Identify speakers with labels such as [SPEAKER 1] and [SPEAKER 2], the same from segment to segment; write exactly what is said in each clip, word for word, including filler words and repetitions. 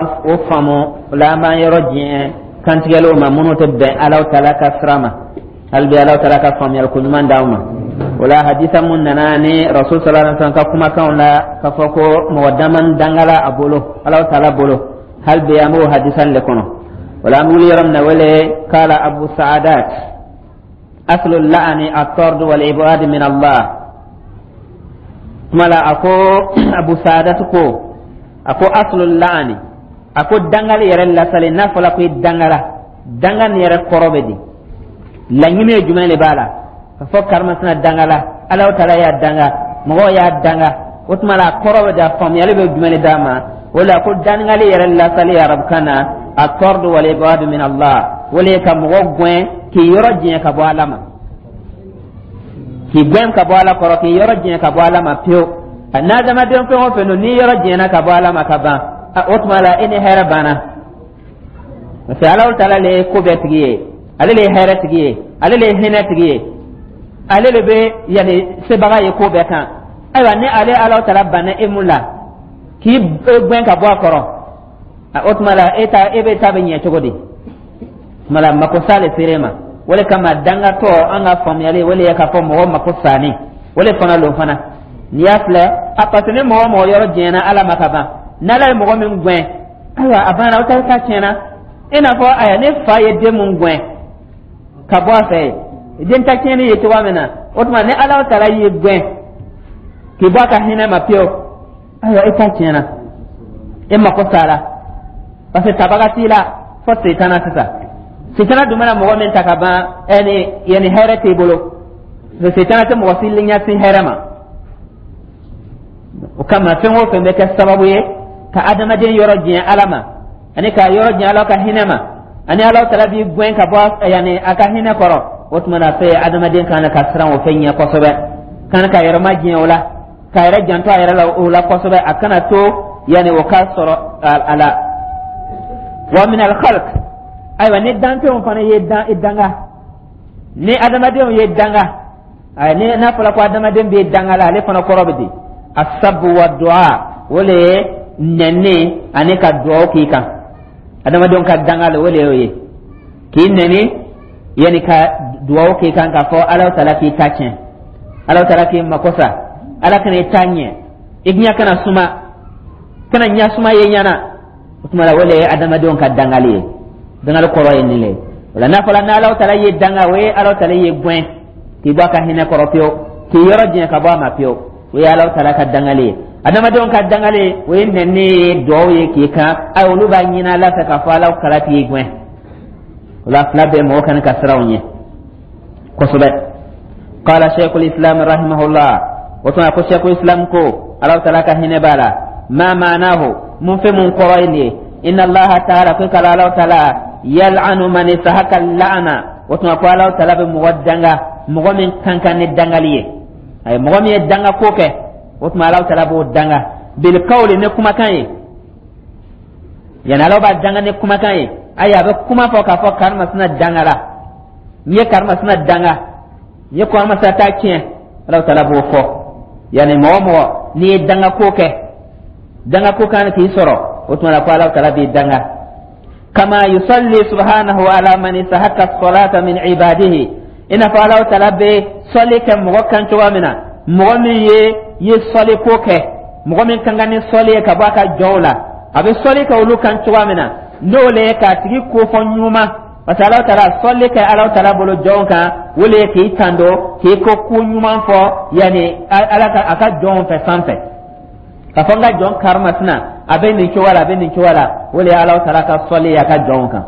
[SPEAKER 1] O faamu o la, an b'an yɔrɔ diɲɛ kantigɛliw ma minnu tɛ bɛn Alaw Taala ka sira ma. Hali bi, Alaw Taala ka faamuyali ko ɲuman d'anw ma. O la, hadisa mun nana ni Rasul sallallahu alaihi wasallam ka kumakanw la k'a fɔ ko mɔgɔ dama dangala a bolo, Alaw Taala bolo, hali bi an b'o hadisa le kɔnɔ. O la, an bɛ wuli yɔrɔ min na, wele kala Abu Saadat: aslu la'ani at-tard wal ibad min Allah. Kuma la, a ko Abu Saadat ko, a ko aslu la'ani, a ko dangali yɛrɛ lasali, n'a fɔla ko i dangala, danga nin yɛrɛ kɔrɔ bɛ di? Laɲini ye jumɛn de b'a la ka fɔ karimasina dangala, Alahu Taala y'a danga, mɔgɔw y'a danga? O tuma la, a kɔrɔ bɛ di? A faamuyali bɛ jumɛn de d'a ma? O la, ko dangali yɛrɛ lasali arabukan na, at-tard wal ibad min Allah, o le ye ka mɔgɔ gɛn k'i yɔrɔ jɛn ka bɔ Ala ma, k'i gɛn ka bɔ Ala kɔrɔ, k'i yɔrɔ jɛn ka bɔ Ala ma pewu. N'adamaden fɛn o fɛn don, n'i yɔrɔ jɛnna ka bɔ Ala ma ka ban, o tuma la, e ni hɛrɛ banna, parce que Alahu Taala le ye ko bɛɛ tigi ye, ale le ye hɛrɛ tigi ye, ale le ye hinɛ tigi ye, ale le bɛ yanni sebaga ye ko bɛɛ kan. Ayiwa, ni ale Alahu Taala banna e mun la k'i gɛn ka bɔ a kɔrɔ, o tuma la, e ta e bɛ ta bɛ ɲɛ cogo di? Tuma la, mako sa le sere ma. O le kama, dangatɔ, an ka faamuyali, o le ye k'a fɔ mɔgɔ mako sanni, o le fana lon fana. N'i y'a filɛ a, parce que ni mɔgɔ mɔgɔ yɔrɔ jɛnna Ala ma ka ban, n'Ala ye mɔgɔ min gɛn, ayiwa, a banna, o ta ta tiɲɛna. I n'a fɔ aya, ne fa ye den mun gɛn ka bɔ a fɛ, den ta tiɲɛni ye cogoya min na, o tuma ni Ala Taala y'i gɛn k'i bɔ a ka hinɛ ma pewu, ayiwa, e ta tiɲɛna, e mako sara, parce que tabaga t'i la fɔ setana. Sisan setana dun mana mɔgɔ min ta ka ban, ɛni yanni hɛrɛ t'i bolo, parce que setana tɛ mɔgɔ si ɲɛsin hɛrɛ ma. O kama, fɛn o fɛn bɛ kɛ sababu ye ka adamaden yɔrɔ diɲɛ Ala ma, ani ka yɔrɔ diɲɛ Ala ka hinɛ ma, ani Ala Taala b'i gɛn ka bɔ yanni a ka hinɛ kɔrɔ, o tuma na, fɛn adamaden kan ka siran o fɛn ɲɛ kosɛbɛ, kan ka yɛrɛ ma diɲɛ o la, ka yɛrɛ janto a yɛrɛ la o la kosɛbɛ, a kana to yanni o ka sɔrɔ a la. Wa min al khalq, ayiwa, ni danfɛnw fana ye danga, ni adamadenw ye danga, ayi, ni n'a fɔra ko adamaden bɛ danga la, ale fana kɔrɔ bɛ di? Asabu wa du'a, o le ye nɛni ani ka duwawu k'i kan. Adamadenw ka danga la, o le y'o ye, k'i nɛni yanni ka duwawu k'i kan, k'a fɔ Ala Taala k'i ta tiɲɛ, Ala Taala k'i mako sa, Ala kana i ta ɲɛ, i ɲɛ kana suma, kana ɲɛ suma ye ɲɛna. O tuma la, o le ye adamadenw ka dangali ye. Dangali kɔrɔ ye nin le. O la, n'a fɔra n'Ala Taala ye danga, o ye Ala Taala ye gɛn k'i bɔ a ka hinɛ kɔrɔ pewu, k'i yɔrɔ jɛn ka bɔ a ma pewu, o ye Ala Taala ka dangali ye. Adamadenw ka dangali, o ye nɛni ye, duwawu ye k'i kan. Ayi, olu b'a ɲini Ala fɛ k'a fɔ Ala kala k'i gɛn. O la, fila bɛɛ, mɔgɔ kan ka siran o ɲɛ kosɛbɛ. Qala shaykhul islam rahimahullah, o tuma ko shaykhul islam ko, Ala Taala ka hinɛ b'a la: ma ma'nahu, mun fɛn mun kɔrɔ ye nin ye? Inna Allaha ta'ala, ko kala Ala Taala, yal'anu man istahaka la'ana, o tuma ko Ala Taala bɛ mɔgɔ danga, mɔgɔ min kan kan ni dangali ye. Ayi, mɔgɔ min ye danga ko kɛ, o tuma Ala Taala b'o danga bil qawli, ni kumakan ye. Yani Ala b'a danga ni kumakan ye. Ayi, a bɛ kuma fɔ k'a fɔ karimasina danga la, n ye karimasina danga, n ye karimasina ta tiɲɛ, Ala Taala b'o fɔ. Yani mɔgɔ mɔgɔ n'i ye danga ko kɛ, danga ko kan k'i sɔrɔ, o tuma la ko Ala Taala b'i danga. Kama yusalli subhanahu ala man istahaqqa salata min ibadihi, i n'a fɔ Ala Taala bɛ sɔli kɛ mɔgɔ kan cogoya min na, mɔgɔ min ye ye sɔli ko kɛ, mɔgɔ min kan ka ni sɔli ye ka bɔ a ka jɔnw la, a bɛ sɔli kɛ olu kan cogoya min na, n'o le ye k'a tigi kofɔ ɲuman, parce que Ala Taala sɔli kɛ Ala Taala bolo jɔnw kan, o le ye k'i tando, k'i ko ko ɲuman fɔ yanni Ala ka a ka jɔnw fɛ sanfɛ, ka fɔ n ka jɔn karimasina, a bɛ nin cogoya la, a bɛ nin cogoya la, o le ye Ala Taala ka sɔli ye a ka jɔnw kan.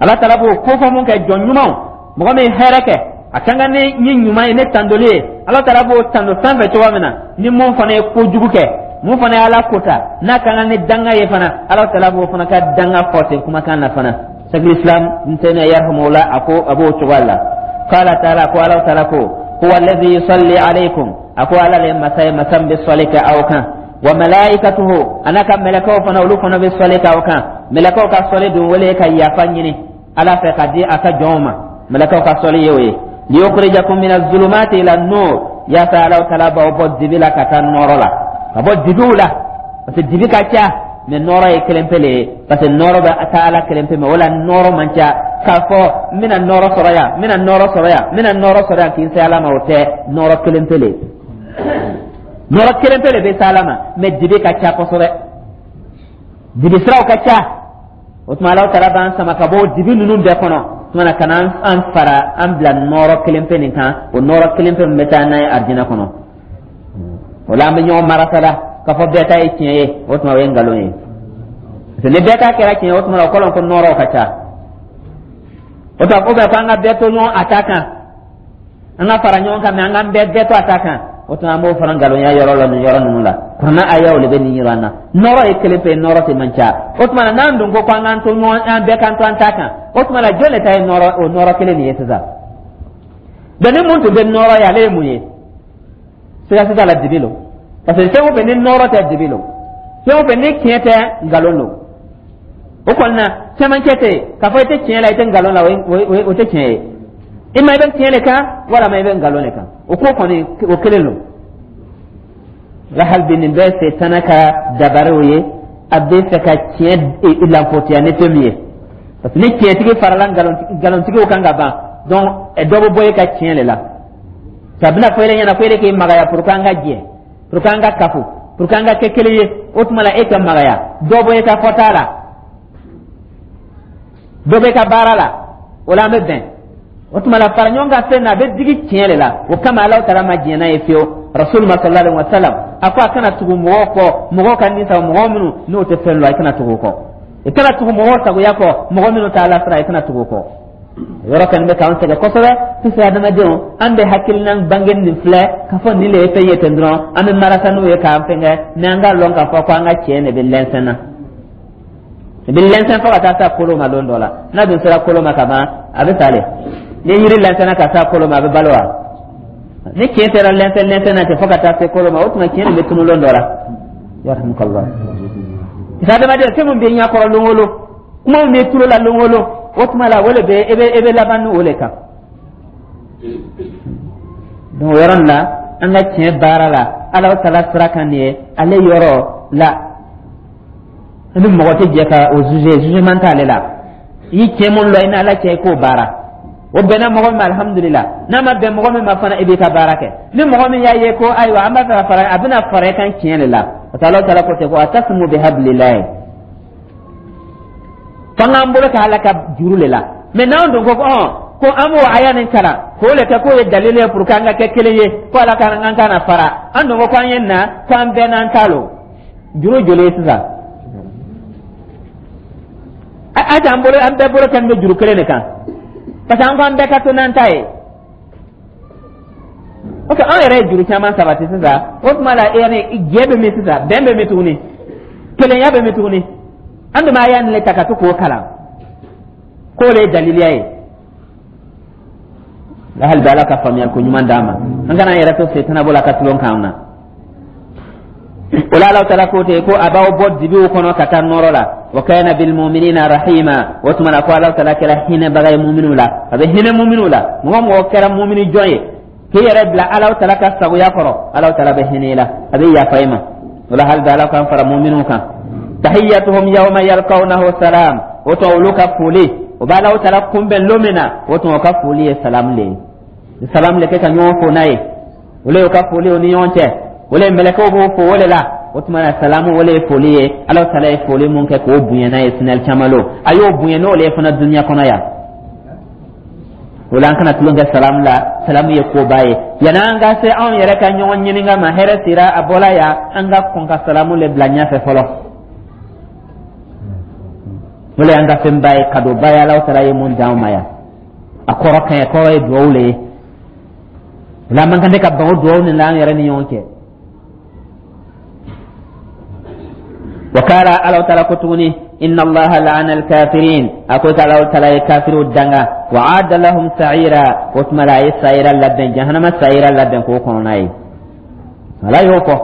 [SPEAKER 1] Ala Taala b'o kofɔ mun kɛ jɔn ɲumanw, mɔgɔ min ye hɛrɛ kɛ, a kan ka ni ni ɲuman ye, ne tandoli ye, Ala Taala b'o tando sanfɛ cogoya min na, ni mun fana ye kojugu kɛ, mun fana ye Ala kota, n'a kan ka ni danga ye fana, Ala Taala b'o fana ka danga fɔ ten kumakan na fana. Shaykhul Islam Ibn Taymiyyah yarhamahullah, a ko a b'o cogoya la. Qala ta'ala, ko Ala Taala ko: huwa alladhi yusalli alaykum, a ko Ala le masa ye, masa min bɛ sɔli kɛ aw kan, wa malaikatuhu, a n'a ka mɛlɛkɛw fana, olu fana bɛ sɔli kɛ aw kan. Mɛlɛkɛw ka sɔli dun, wele ka yafa ɲini Ala fɛ ka di a ka jɔnw ma, mɛlɛkɛw ka sɔli ye o ye. Liyukhrijakum min az-zulumati ila an-nur, yaasa Ala Taala b'aw bɔ dibi la ka taa nɔrɔ la, ka bɔ dibiw la, parce que dibi ka ca. Mais nɔɔrɔ ye kelen pe le ye, parce que nɔɔrɔ bɛ taa Ala kelen pe ma. O la nɔɔrɔ man ca k'a fɔ n bɛna nɔɔrɔ sɔrɔ yan, n bɛna nɔɔrɔ sɔrɔ yan, n bɛna nɔɔrɔ sɔrɔ yan k'i se Ala ma. O tɛ, nɔɔrɔ kelen pe le, nɔɔrɔ kelen pe le bɛ se Ala ma. Mais dibi ka ca kosɛbɛ, dibi siraw ka ca. O tuma Ala taala b'an sama ka bɔ dibi ninnu bɛɛ kɔnɔ tuma na ka na an fara an bila nɔɔrɔ kelen pe nin kan, o nɔɔrɔ kelen pe min bɛ taa n'a ye arijinɛ kɔnɔ. O la an bɛ ɲɔgɔn marasala k'a fɔ bɛɛ ta ye tiɲɛ ye. O tuma o ye nkalon ye, parce que ni bɛɛ ta kɛra tiɲɛ ye, o tuma o kɔrɔ ko nɔɔrɔw ka ca. O tuma o bɛ ko an ka bɛɛ to ɲɔgɔn a ta kan, an ka fara ɲɔgɔn kan, mais an k'an bɛɛ bɛɛ to a ta kan. O tuma an b'o fana nkalonya yɔrɔ la nin yɔrɔ ninnu la. Kuranna ayaw de bɛ nin yɔrɔ an na. Nɔɔrɔ ye kelen pe, nɔɔrɔ tɛ man ca. O tuma na n'an dun ko k'an k'an to ɲɔgɔn, an bɛɛ k'an to an ta kan, o tuma na jɔn de ta ye nɔɔrɔ, o nɔɔrɔ kelen nin ye sisan? Donc ni mun tun tɛ nɔɔrɔ ye, ale ye mun ye? Siga siga la, dibi lo, parce que fɛn o fɛn ni nɔɔrɔ tɛ, dibi lo. Fɛn o fɛn ni tiɲɛ tɛ, nkalon lo. O kɔni na cɛmancɛ tɛ yen k'a fɔ i tɛ tiɲɛ la, i tɛ nkalon la, o tɛ tiɲɛ ye. I ma i bɛ tiɲɛ de kan walama i bɛ nkalon de kan, o ko kɔni o kelen lo la. Hali bi nin bɛɛ setana ka dabariw ye, a bɛ fɛ ka tiɲɛ lanfotiya ni fɛn min ye, parce que ni tiɲɛtigi farala nkalontigiw kan ka ban, donc dɔ bɛ bɔ e ka tiɲɛ de la. A bɛna fɔ e ɲɛna ko e de k'i magaya pour que an ka jɛ, pour que an ka kafo, pour que an ka kɛ kelen ye. O tuma la e ka magaya, dɔ bɔ e ka fɔta la, dɔ bɛ e ka baara la, o la an bɛ bɛn. O tuma la fara ɲɔgɔn kan fɛn na, a bɛ digi tiɲɛ de la. O kama Alahu taala ma diɲɛ n'a ye fiyewu. Rasul ma sallallahu alaihi wa sallam a ko a kana tugu mɔgɔw kɔ, mɔgɔw ka ni sago, mɔgɔ minnu n'o tɛ fɛn lɔ, i kana tugu o kɔ. I kana tugu mɔgɔw sagoya kɔ, mɔgɔ minnu t'a la sira, i kana tugu o kɔ. Yɔrɔ kɔni bɛ k'an sɛgɛn kosɛbɛ sisan. Adamadenw, an bɛ hakilina bange nin filɛ k'a fɔ nin de ye fɛn ye ten dɔrɔn, an bɛ marasa n'u ye k'an fɛnkɛ. Mais an k'a lɔn k'a fɔ ko an ka tiɲɛ de bɛ lɛnsɛn na, i bɛ lɛnsɛn fo ka taa se kolo ma. Don dɔ la n'a dun sera kolo ma ka ban, a bɛ sa le. Ni yiri lɛnsɛnna ka se kolo ma, a bɛ balo wa? Ni tiɲɛ sera lɛnsɛn lɛnsɛn na ten fo ka taa se kolo ma, o tuma tiɲɛ nin bɛ tunu lon dɔ la. Yarhamukallah. Adamaden, fɛn min bɛ ɲɛkɔrɔ lon o lon, kuma min bɛ tulo la lon o lon, o tuma la o de bɛ e bɛ e bɛ laban ni o de kan. Donc o yɔrɔ nin la, an ka tiɲɛ baara la Ala taala sira kan nin ye, ale yɔrɔ la ni mɔgɔ tɛ jɛ ka o juger, jugement t'ale la. I ye tiɲɛ mun lɔ i ni Ala cɛ, i k'o baara. O bɛnna mɔgɔ min ma, alihamudulila. N'a ma bɛn mɔgɔ min ma fana, i b'i ka baara kɛ. Ni mɔgɔ min y'a ye ko ayiwa, an b'a fɛ ka fara, a bɛna fara i kan tiɲɛ de la, parce que Ala taala ko ten ko atasimu bihablilahi, f'an k'an bolo kɛ Ala ka juru de la. Mais n'anw dun ko ɔn ko an b'o aya nin kalan k'o le kɛ k'o ye dalili ye pour que an ka kɛ kelen ye, ko Ala ka an kana fara, an dun ko k'an ye na k'an bɛɛ n'an ta lo, juru joli ye sisan? A t'an bolo, an bɛɛ bolo kɛ bɛ juru kelen de kan, parce que an ko an bɛɛ ka to n'an ta ye. Ok, an yɛrɛ ye juru caman sabati sisan. O tuma la yanni jɛ bɛ min sisan, bɛn bɛ min tuguni, kelenya bɛ min tuguni? An dun b'a aya nin le ta ka to k'o kalan k'o le ye daliliya ye la. Hali bi Ala ka faamuyali ko ɲuman d'an ma, an kana an yɛrɛ to setana bolo a ka tulon k'an na. O la Ala taala ko ten ko a b'aw bɔ dibiw kɔnɔ ka taa nɔrɔ la. Wa kana bil mu'minina rahima. O tuma na ko Ala taala kɛra hinɛbaga ye muminiw la, a bɛ hinɛ muminiw la. Mɔgɔ mɔgɔ kɛra mumini jɔn ye k'i yɛrɛ bila Ala taala ka sagoya kɔrɔ, Ala taala bɛ hinɛ i la, a bɛ yafa i ma. O la hali bi Ala k'an fara muminiw kan. Tahiyyatuhum yawma yalqawnahu salam. O tuma olu ka foli, o bɛ Ala taala kunbɛn lon min na, o tuma o ka foli ye salam le ye, salam le kɛ ka ɲɔgɔn fo n'a ye. Olu y'u ka foli o ni ɲɔgɔn cɛ, o le mɛlɛkɛw b'o fo o de la. O tuma na salamu, o le ye foli ye. Ala taala ye foli mun kɛ k'o bonya n'a ye sinali caman lo, a y'o bonya n'o le ye fana dunuya kɔnɔ yan. O la an kana tulon kɛ salamu la, salamu ye koba ye. Yanni an ka se anw yɛrɛ ka ɲɔgɔn ɲininka ma hɛrɛ sera a bɔla yan, an ka kɔn ka salamu le bila ɲɛfɛ fɔlɔ. O le y'an ka fɛnba ye, kadoba ye Ala taala ye mun d'anw ma yan. A kɔrɔ ka ɲi, kɔrɔ ye duwawu le ye. O la an man kan tɛ ka ban o duwawu nin la an yɛrɛ ni ɲɔgɔn cɛ. Wakala Ala taala ko tuguni inna Allaha la'ana al-kafirin. A ko Ala taala ye kafiriw danga. Wa aada lahum sa'ira. O tuma la a ye sa'ira labɛn, jahannama sa'ira labɛn k'o kɔnɔna ye. Ala y'o fɔ.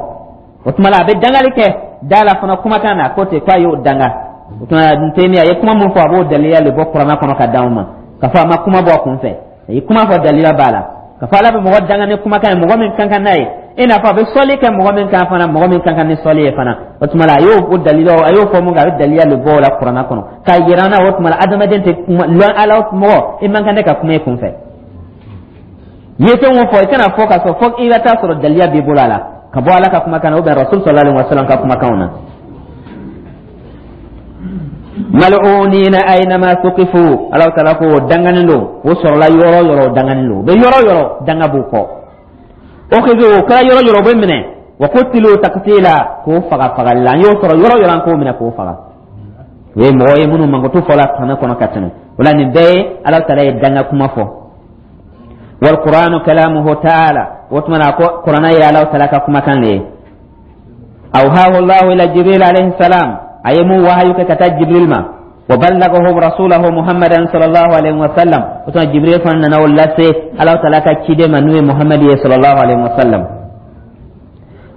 [SPEAKER 1] O tuma la a bɛ dangali kɛ da la fana kumakan na ko ten k'a y'o danga. O tuma Ibn Taymiya a ye kuma mun fɔ, a b'o daliya le bɔ kuranɛ kɔnɔ ka d'anw ma, k'a fɔ a ma kuma bɔ a kun fɛ, a ye kuma fɔ, daliya b'a la, k'a fɔ Ala bɛ mɔgɔ danga ni kumakan ye, mɔgɔ min kan kan n'a ye, i n'a fɔ a bɛ sɔli kɛ mɔgɔ min kan fana, mɔgɔ min kan kan ni sɔli ye fana. O tuma la, a y'o o dalila, a y'o fɔ mun kan, a bɛ dalila le bɔ o la Kuranna kɔnɔ k'a yira an na. O tuma la, adamaden tɛ kuma lɔn Ala mɔgɔ, i man kan tɛ ka kuma i kun fɛ. I ye fɛn o fɔ, i kana fɔ k'a sɔrɔ fɔ i ka taa sɔrɔ daliya b'i bolo a la, ka bɔ Ala ka kumakan na ou bien Rasul sallallahu alaihi wasallam ka kumakanw na. Mal'unina aynama thuqifu, Ala taala ko o danganen don, o sɔrɔla yɔrɔ o yɔrɔ, o danganen don, o bɛ yɔrɔ o yɔrɔ, danga b'u kɔ. Ukhidhu, o kɛra yɔrɔ o yɔrɔ, o bɛ minɛ. Wa qutilu taqtila, k'o faga fagali la. An y'o sɔrɔ yɔrɔ o yɔrɔ, an k'o minɛ k'o faga. O ye mɔgɔ ye minnu mankutu fɔla kuranɛ kɔnɔ ka tɛmɛ. O la, nin bɛɛ ye Ala taala ye danga kuma fɔ. Wal qur'anu kalamuhu ta'ala, o tuma na ko Kuranɛ ye Ala taala ka kumakan de ye. Awhahu Allahu ila Jibril alayhi salam, a ye mun wahayu kɛ ka taa Jibril ma. Wa ballagahu rasulahu Muhammadan sallallahu alaihi wa sallam, o tuma Jibril fana nana o lase Ala taala ka ciden ma, n'o ye Muhammad ye sallallahu alaihi wa sallam.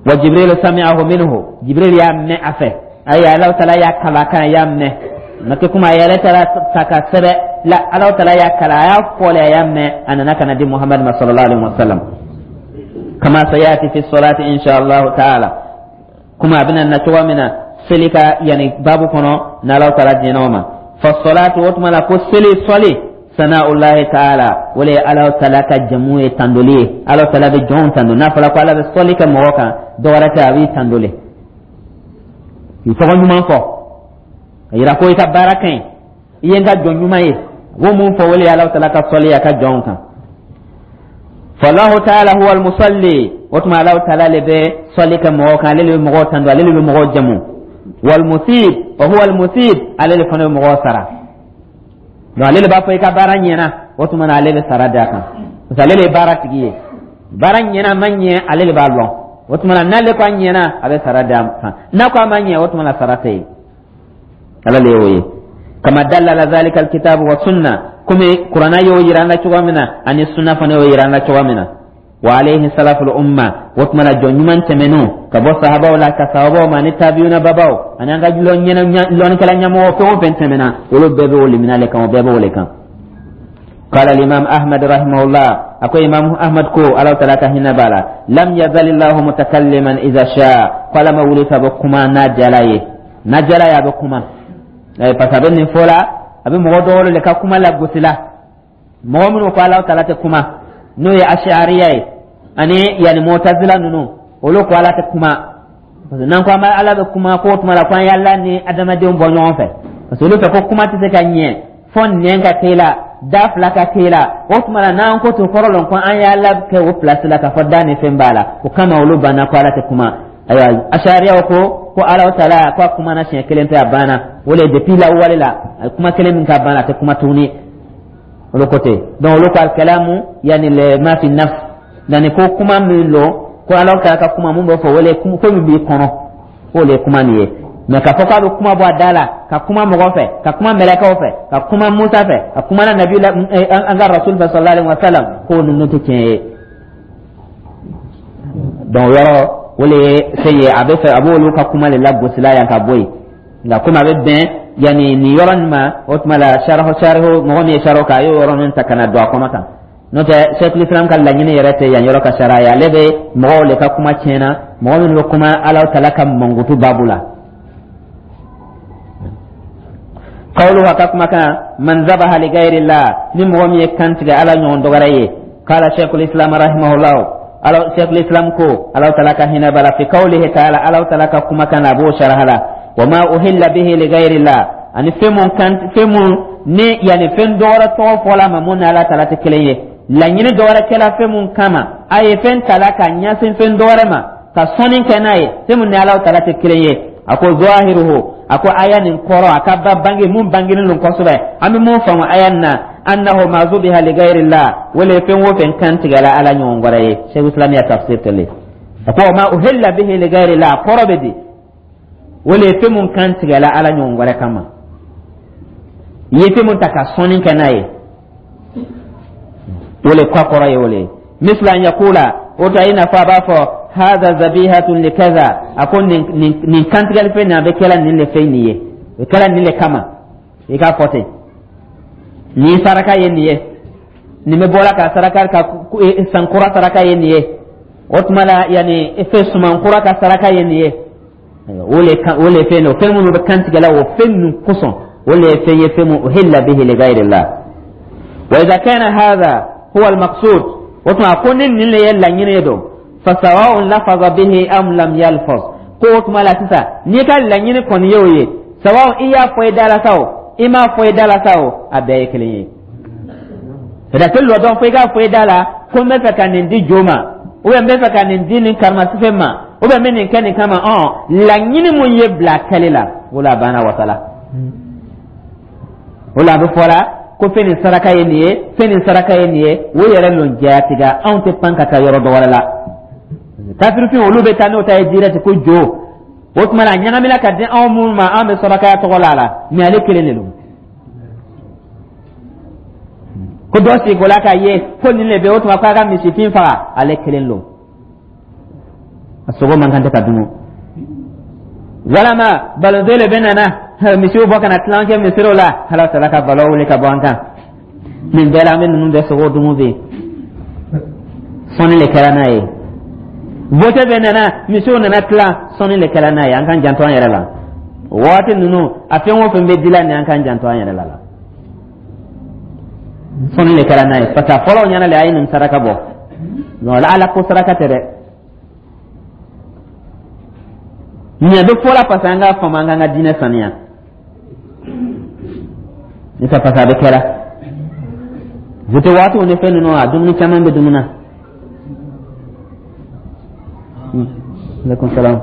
[SPEAKER 1] Wa Jibril sami'ahu minhu, Jibril y'a mɛn a fɛ, ayi, Ala taala y'a kala kan, y'a mɛn ma kɛ kuma a yɛrɛ taara ta ka sɛbɛ la. Ala taala y'a kala, a y'a fɔle, a y'a mɛn, a nana ka na di Muhammad ma sallallahu alaihi wa sallam. Kama sayati fi salati insha Allah ta'ala, kuma a bɛna na cogo min na seli ka yani babu kɔnɔ, n'Ala taala diɲɛ o ma. Fa salatu, o tuma la ko seli, sɔli, sana'ullahi ta'ala, o le ye Ala taala ka jamu ye, tandoli ye. Ala taala bɛ jɔnw tando. N'a fɔra ko Ala bɛ sɔli kɛ mɔgɔ kan, dɔwɛrɛ tɛ, a b'i tando le, k'i tɔgɔ ɲuman fɔ ka yira ko i ka baara ka ɲi, i ye n ka jɔn ɲuman ye. A b'o mun fɔ, o le ye Ala taala ka sɔli a ka jɔnw kan. Fallahu ta'ala huwa al-musalli, o tuma Ala taala le bɛ sɔli kɛ mɔgɔ kan, ale le bɛ mɔgɔw tando, ale le bɛ mɔgɔw jamu. Wal musib, wa huwa al musib, ale le fana bɛ mɔgɔw sara. Donc ale le b'a fɔ i ka baara ɲɛna, o tuma na ale bɛ sara d'a kan, parce que ale le ye baara tigi ye. Baara ɲɛna, ma ɲɛ, ale le b'a lɔn. O tuma na, n'ale ko a ɲɛna, a bɛ sara d'a kan, n'a ko a ma ɲɛ, o tuma na sara tɛ yen. Ala le y'o ye. Kama dalla ala zalika alkitabu wa sunna, komi Kuranna y'o yira an na cogo min na, ani sunna fana y'o yira an na cogo min na. Wa alayhi salaful umma, o tuma na jɔn ɲuman tɛmɛnenw, ka bɔ sahabaw la ka sahabaw ma, ani tabiyuna babaw, ani an ka lɔnnikɛla ɲɛmɔgɔ fɛn o fɛn tɛmɛna, olu bɛɛ bɛ o limina le kan, o bɛɛ bɛ o le kan. قال الإمام أحمد رحمه الله، أكو إمام أحمد كو الله تعالى كهنا بالا، لم يزل الله متكلما إذا شاء، قال ما ولي بكما نجلاي نجلاي بكما. Parce que a bɛ nin fɔ la, a bɛ mɔgɔ dɔw le ka kuma lagosi la, mɔgɔ minnu ko Ala taala tɛ kuma, n'o ye Ashariya ye, ani yani Mutazila ninnu, olu ko Ala tɛ kuma. Parce que n'an ko an bɛ Ala bɛ kuma, ko o tuma la ko an y'Ala ni adamadenw bɔ ɲɔgɔn fɛ, parce que olu fɛ ko kuma tɛ se ka ɲɛ fɔ nɛn ka k'e la, da fila ka k'e la. O tuma la, n'an ko ten, kɔrɔ lɔn ko an y'Ala kɛ o place la, k'a fɔ da ni fɛn b'a la. O kama olu banna ko Ala tɛ kuma. Ayiwa, Ashariyaw ko ko Ala taala ko a kumana siɲɛ kelen pe, a banna. O le depuis lawale la, a ye kuma kelen min k'a banna, a tɛ kuma tuguni, olu ko ten. Donc olu ko alkalamu yani le ma fi nafs, yani ko kuma min lo, ko Ala taala ka kuma mun bɛ fɔ, o le ko min b'i kɔnɔ, k'o le ye kuma nin ye. Mais k'a fɔ k'a bɛ kuma bɔ a da la, ka kuma mɔgɔ fɛ, ka kuma mɛlɛkɛw fɛ, ka kuma Musa fɛ, ka kuma na nabi la, an ka rasul fɛ sallallahu alaihi wa sallam, k'o ninnu tɛ tiɲɛ ye. Donc yɔrɔ o le ye fɛn ye, a bɛ fɛ a b'olu ka kuma de lagosila yan ka bɔ yen. Nka komi a bɛ bɛn yanni nin yɔrɔ nin ma, o tuma la sarihu sarihu mɔgɔ min ye sarihu kɛ, a y'o yɔrɔ ninnu ta ka na don a kɔnɔ tan. N'o tɛ, Sɛkul Islam ka laɲini yɛrɛ tɛ yan yɔrɔ ka sariya ye. Ale bɛ mɔgɔw le ka kuma tiɲɛna, mɔgɔ minnu bɛ kuma Ala taala ka mankutu baabu la. Qawluhu, a ka kumakan, man zabaha li ghayrillah, ni mɔgɔ min ye kan tigɛ Ala ɲɔgɔn dɔgɔrɛ ye. Qala Sheikhul Islam rahimahullah, ala Sheikhul Islam ko, Ala taala ka hinɛ bala, fi qawlihi ta'ala, Ala taala ka kumakan na, a b'o saraha la, wa ma uhilla bihi li ghayrillah, ani fɛn mun kan, fɛn mun ni yani fɛn dɔwɛrɛ tɔgɔ fɔla ma mun ni Ala taala tɛ kelen ye, laɲini dɔwɛrɛ kɛla fɛn mun kama, a ye fɛn tala ka ɲɛsin fɛn dɔwɛrɛ ma ka sɔnni kɛ n'a ye, fɛn mun ni Ala taala tɛ kelen ye. A ko zahiruhu, a ko aya nin kɔrɔ, a ka ba bange mun bangenen don kosɛbɛ, an bɛ mun faamu aya nin na, annahu ma zubiha li ghayrillah, wala fɛn o fɛn kan tigɛla Ala ɲɔgɔn wɛrɛ ye. Sheikh Islam ya tafsir tɛle, a ko ma uhilla bihi li ghayrillah, kɔrɔ bɛ di, wala fɛn mun kan tigɛla Ala ɲɔgɔn wɛrɛ kama, i ye fɛn mun ta ka sɔnni kɛ n'a ye, o le kɔ kɔrɔ ye o le. Misla an yakula, o ta i n'a fɔ a b'a fɔ hada zabihatun li kaza, a ko nin nin nin kantigɛli fɛn nin, a bɛ kɛla nin le fɛn nin ye, o kɛla nin le kama. I k'a fɔ ten, nin saraka ye nin ye, nin bɛ bɔra ka saraka ka sankura saraka ye nin ye, o tuma la yanni fɛn sumankura ka saraka ye nin ye. O le kan, o le fɛn o fɛn minnu bɛ kantigɛ la, o fɛn ninnu kosɔn, o le ye fɛn ye, fɛn mun uhilla bihi li ghayri Allah. Wa idha kana hadha huwa al-maqsud, o tuma ko ni nin le ye laɲini ye don, fasawa'un lafaza bihi am lam yalfaz, ko o tuma la sisan, n'i ka laɲini kɔni ye o ye, sawa'un i y'a fɔ i da la sa o, i m'a fɔ i da la sa o, a bɛɛ ye kelen ye. C'est-à-dire lɔ dɔn fo i k'a fɔ i da la ko n bɛ fɛ ka nin di jo ma, ou bien n bɛ fɛ ka nin di nin karimasifɛn ma, ou bien n bɛ nin kɛ nin kama. Ɔn, laɲini mun ye bila kɛli la, o la a banna wasala. O la a bɛ fɔ la ko fɛn nin saraka ye nin ye, fɛn nin saraka ye nin ye, o yɛrɛ lon jatiga. Anw tɛ pan ka taa yɔrɔ dɔ wɛrɛ la. Kafirifin, olu bɛ taa n'o ta ye direct ko jo. O tuma na, a ɲagamina ka di anw minnu ma, an bɛ sarakaya tɔgɔ la a la, mais ale kelen de don. Ko dɔ sigi ko la k'a ye ko nin de bɛ, o tuma k'a ka misifin faga, ale kelen don, a sogo man kan tɛ ka dun. Walama balonto le bɛ nana misiw bɔ ka na tilan kɛ misiriw la, Ala tala ka balo wuli ka bɔ an kan. Nin bɛɛ la, an bɛ ninnu bɛɛ sogo dumu bɛ yen, sɔnni le kɛra n'a ye. Vote bɛ nana, misiw nana tilan, sɔnni le kɛra n'a ye. An k'an janto an yɛrɛ la o waati ninnu. A fɛn o fɛn bɛ dila nin, an k'an janto an yɛrɛ la la sɔnni le kɛra n'a ye, parce que a fɔlɔ ɲɛna le a ye nin saraka bɔ. Non, ala ko saraka tɛ dɛ. Nin bɛ fɔla parce que an k'a faamu, an k'an ka diinɛ saniya ne tɛ, parce que a bɛ kɛra vote waatiw ni fɛn ninnu, a dumuni caman bɛ dumuni na. Aleykum salaam.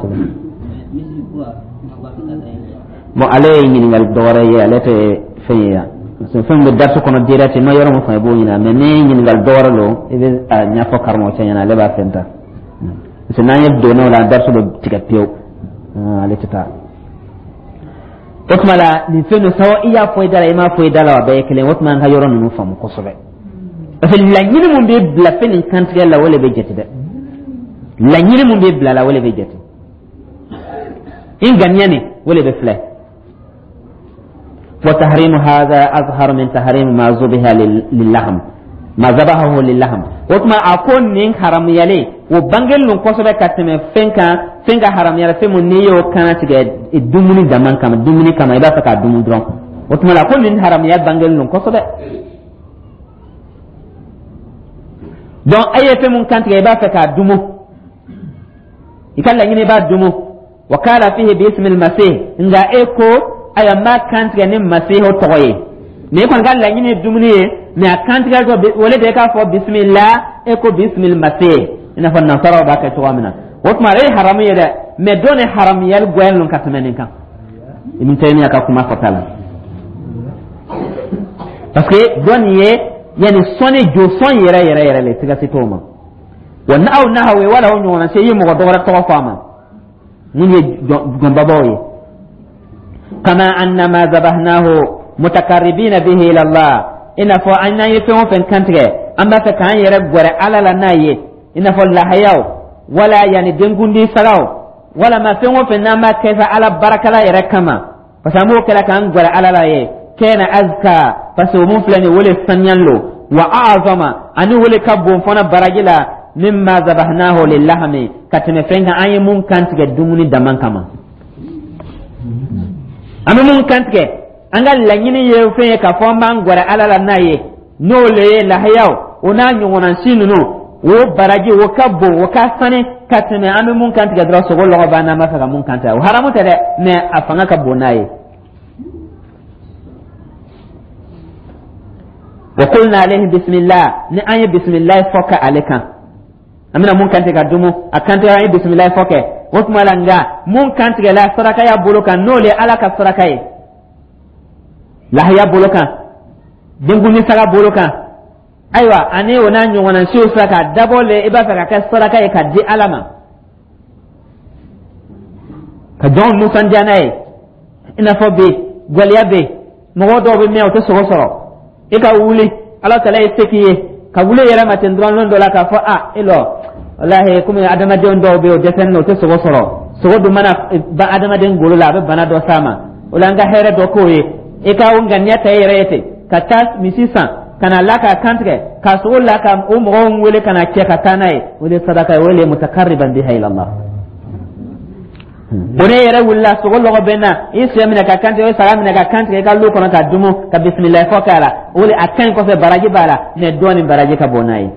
[SPEAKER 1] Bon, ale ye ɲininkali dɔ wɛrɛ ye, ale tɛ fɛn ye yan, parce que fɛn bɛ darisu kɔnɔ direct, i ma yɔrɔ min faamu, i b'o ɲininka. Mais ni ɲininkali dɔ wɛrɛ don, i bɛ a ɲɛfɔ karamɔgɔcɛ ɲɛna, ale b'a fɛn ta, parce que n'an ye donn'o la, darisu bɛ tigɛ pewu. Ale tɛ taa. O tuma la, nin fɛn ninnu sawa, i y'a fɔ i da la, i m'a fɔ i da la, a bɛɛ ye kelen. O tuma an ka yɔrɔ ninnu faamu kosɛbɛ, parce que laɲini mun bɛ bila fɛn nin kantigɛ la, o de bɛ jate dɛ. Laɲini mun bɛ bila la, o de bɛ jate. I ŋaniya nin, o de bɛ filɛ. وتحريم هذا أظهر من تحريم ما ذبح للحم، ما ذبحه للحم. O tuma a ko nin haramuyalen, o bangelen don kosɛbɛ ka tɛmɛ fɛn kan, fɛn ka haramuyala, fɛn mun n'i y'o kana tigɛ dumuni dama kama, dumuni kama, i b'a fɛ k'a dumu dɔrɔn. O tuma la ko nin haramuya bangelen don kosɛbɛ. Donc e ye fɛn mun kantigɛ, i b'a fɛ k'a dumu, i ka laɲini i b'a dumu. Wa kala fihi bismil masih, nka e ko ayiwa, n b'a kantigɛ ni masihu tɔgɔ ye. Mais e kɔni ka laɲini ye dumuni ye, mais a kantigɛ tɔ o le de k'a fɔ bisimila, e ko bisimil masih, i n'a fɔ nasaraw b'a kɛ cogoya min na. O tuma ale ye haramu ye dɛ, mais dɔ ni haramuyali goyalen don ka tɛmɛ nin kan. Ibn Taymiya ka kuma fɔta la, parce que dɔ nin ye yanni sɔnni jo sɔn yɛrɛ yɛrɛ yɛrɛ le, siga si t'o ma. Wa aw nahawe wala o ɲɔgɔnna se, i ye mɔgɔ dɔ wɛrɛ tɔgɔ fɔ a ma mun ye gɔnbabaw ye. Kama annama zabahnahu mutakarribina bihi ila Allah, i n'a fɔ an n'an ye fɛn o fɛn kantigɛ, an b'a fɛ k'an yɛrɛ gɛrɛ Ala la n'a ye, i n'a fɔ lahayaw wala yanni denkundi sagaw, walama fɛn o fɛn n'an b'a kɛ sa Ala barakala yɛrɛ kama, parce que an b'o kɛla k'an gɛrɛ Ala la ye. Kɛna azka, parce que o mun filɛ nin ye, o le saniyan lo, wa a'zama, ani o le ka bon fana baraji la, mimma zabahnahu lillahmi, ka tɛmɛ fɛn kan an ye mun kantigɛ dumuni dama kama. An bɛ mun kantigɛ, an ka laɲini ye fɛn ye k'a fɔ an b'an gɛrɛ Ala la n'a ye, n'o le ye lahayaw, o n'a ɲɔgɔnna si ninnu, o baraji o ka bon, o ka sani ka tɛmɛ an bɛ mun kantigɛ dɔrɔn, sogo lɔgɔ b'an na, an b'a fɛ ka mun kantigɛ. O haramu tɛ dɛ, mais a fanga ka bon n'a ye. Wa qulna alayhi bismillah, ni an ye bismillah fɔ ka ale kan, an bɛna mun kantigɛ ka dumu, a kantigɛ, an ye bismillah fɔ kɛ. O tuma la, nka mun kantigɛla sarakaya bolo kan, n'o le Ala ka saraka ye, lahaya bolo kan, denkundi saga bolo kan, ayiwa, ani o n'a ɲɔgɔnna siw sera k'a dabɔ le i b'a fɛ ka kɛ saraka ye ka di Ala ma, ka jɔnw nisɔndiya n'a ye. I n'a fɔ bi gwɛlɛya bɛ yen, mɔgɔ dɔw bɛ mɛn, o tɛ sogo sɔrɔ. I ka wuli, Ala tala ye se k'i ye ka wuli yɛrɛ ma ten dɔrɔn lon dɔ la k'a fɔ a e lɔ, walahi, komi adamadenw dɔw bɛ yen, o dɛsɛlen don, o tɛ sogo sɔrɔ. Sogo dun mana ban adamaden golo la, a bɛ bana dɔ s'a ma. O la, an ka hɛrɛ dɔ k'o ye, i ka o ŋaniya ta i yɛrɛ ye ten ka taa misi san ka na la k'a kantigɛ k'a sogo la ka o mɔgɔw wele ka na cɛ ka taa n'a ye, o de ye sadaka ye, o de ye mutakarriban biha ila Allah. O ne yɛrɛ wulila, sogo lɔgɔ bɛ na, i sɛ minɛ ka kantigɛ, i saga minɛ ka kantigɛ i ka lu kɔnɔ ka dumu ka bisimilayi fɔ k'a la, o de a ka ɲi kosɛbɛ, baraji b'a la, mɛ dɔɔnin baraji ka bon n'a ye.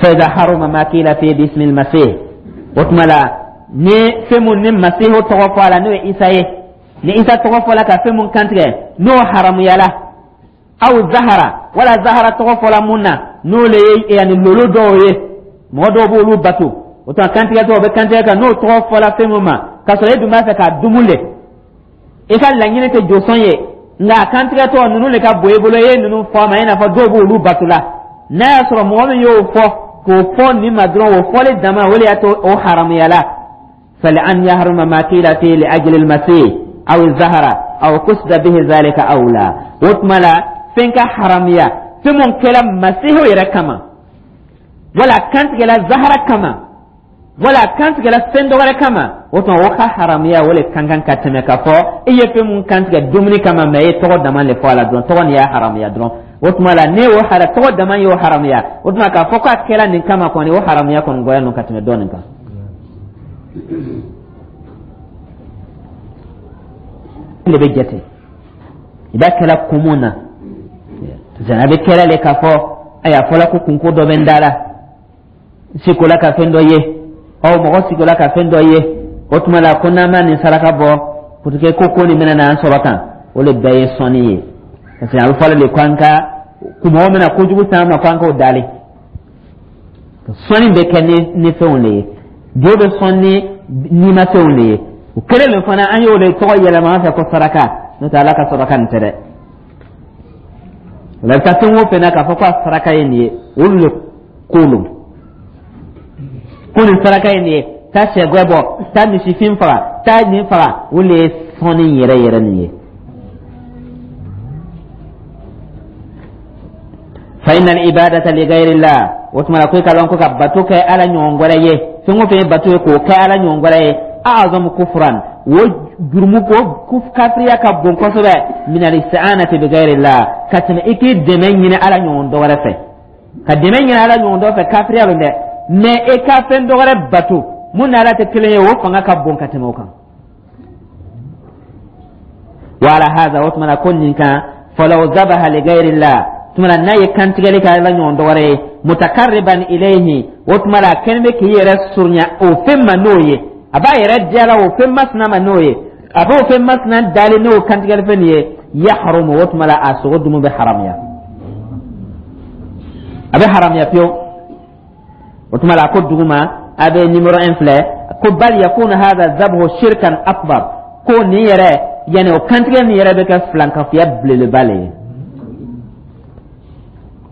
[SPEAKER 1] Fa iza haruma ma qila fi bismi al-masih, o tuma la ni fɛn mun ni masihu tɔgɔ fɔ a la, n'o ye Isa ye, ni Isa tɔgɔ fɔ la ka fɛn mun kantigɛ, n'o haramuyala, aw zahara wala zahara tɔgɔ fɔla mun na, n'o le ye yani lolo dɔw ye, mɔgɔ dɔw b'olu bato, o tuma kantigɛtɔ o bɛ kantigɛ kan, n'o tɔgɔ fɔla fɛn mun ma, k'a sɔrɔ e dun b'a fɛ k'a dumu le, i ka laɲini tɛ josɔn ye, nka a kantigɛtɔ ninnu de ka bon i bolo, i ye ninnu fɔ a ma, i n'a fɔ dɔw b'olu bato la, n'a y'a sɔrɔ mɔgɔ min y'o fɔ k'o fɔ nin ma dɔrɔn, o fɔli dama, o de y'a to o haramuyala. Fali an yahruma ma qila fi li ajli al-masih aw zahara aw qusida bihi zalika awla. O tuma la fɛn ka haramuya, fɛn mun kɛra masihu yɛrɛ kama, wala kantigɛla zahara kama, wala kantigɛla fɛn dɔ wɛrɛ kama, o tuma o ka haramuya, o le ka kan ka tɛmɛ k'a fɔ i ye fɛn mun kantigɛ dumuni kama, mɛ i ye tɔgɔ dama le fɔ a la dɔrɔn, tɔgɔ nin y'a haramuya dɔrɔn. O tuma la ne y'o hara, tɔgɔ dama y'o haramuya, o tuma k'a fɔ k'a kɛra nin kama kɔni, o haramuya kɔni goya nɔ ka tɛmɛ dɔ nin kan. Le bɛ jate i b'a kɛla kun mun na, a bɛ kɛla le k'a fɔ ayi, a fɔla ko kunko dɔ bɛ n da la, sikola ka fɛn dɔ ye, ɔ mɔgɔ sikola ka fɛn dɔ ye, o tuma la ko n'an ma nin saraka bɔ pour que ko ko nin bɛna n'an sɔrɔ tan, o le bɛɛ ye sɔnni ye, parce que a bɛ fɔla de ko an ka mɔgɔ mina kojugu s'an ma, ko an k'o dalen. Sɔnni bɛ kɛ ni ni fɛnw de ye, jo bɛ sɔn ni nimafɛnw de ye. O kelen de fana, an y'o de tɔgɔ yɛlɛma an fɛ ko saraka, n'o tɛ Ala ka saraka nin tɛ dɛ. O la i bɛ taa fɛn o fɛn na k'a fɔ ko a saraka ye nin ye, olu de ko lo ko nin saraka ye nin ye, taa sɛgɛ bɔ, taa misifin faga, taa nin faga, o de ye sɔnni yɛrɛ yɛrɛ nin ye. Fa inna al-ibadata li ghayri Allah, o tuma la ko i ka lɔn ko ka bato kɛ Ala ɲɔgɔn wɛrɛ ye, fɛn o fɛn ye bato ye k'o kɛ Ala ɲɔgɔn wɛrɛ ye, a'zamu kufran, o jurumu ko kafiriya ka bon kosɛbɛ, min al-isti'anati bi ghayri Allah, ka tɛmɛ i k'i dɛmɛ ɲini Ala ɲɔgɔn dɔ wɛrɛ fɛ. Ka dɛmɛ ɲini Ala ɲɔgɔn dɔ fɛ, kafiriya don dɛ, mɛ e ka fɛn dɔ wɛrɛ bato mun ni Ala tɛ kelen ye, o fanga ka bon ka tɛmɛ o kan. Wa ala hadha, o tuma na ko nin kan, falaw zabaha li ghayri Allah, tuma na n'a ye kantigɛli kɛ Ala ɲɔgɔn dɔ wɛrɛ ye, mutakarriban ilayhi, o tuma la a kɛlen bɛ k'i yɛrɛ surunya o fɛn ma n'o ye, a b'a yɛrɛ diya la o fɛn masina ma n'o ye, a b'o fɛn masina dalen n'o kantigɛli fɛn nin ye, yahrumu, o tuma la a sogo dumu bɛ haramuya, a bɛ haramuya pewu. O tuma la a ko duguma a bɛ numéro un filɛ ko bal yakunu hadha zabhu shirkan akbar, ko nin yɛrɛ yanni o kantigɛ nin yɛrɛ bɛ kɛ filankafoya belebeleba le ye.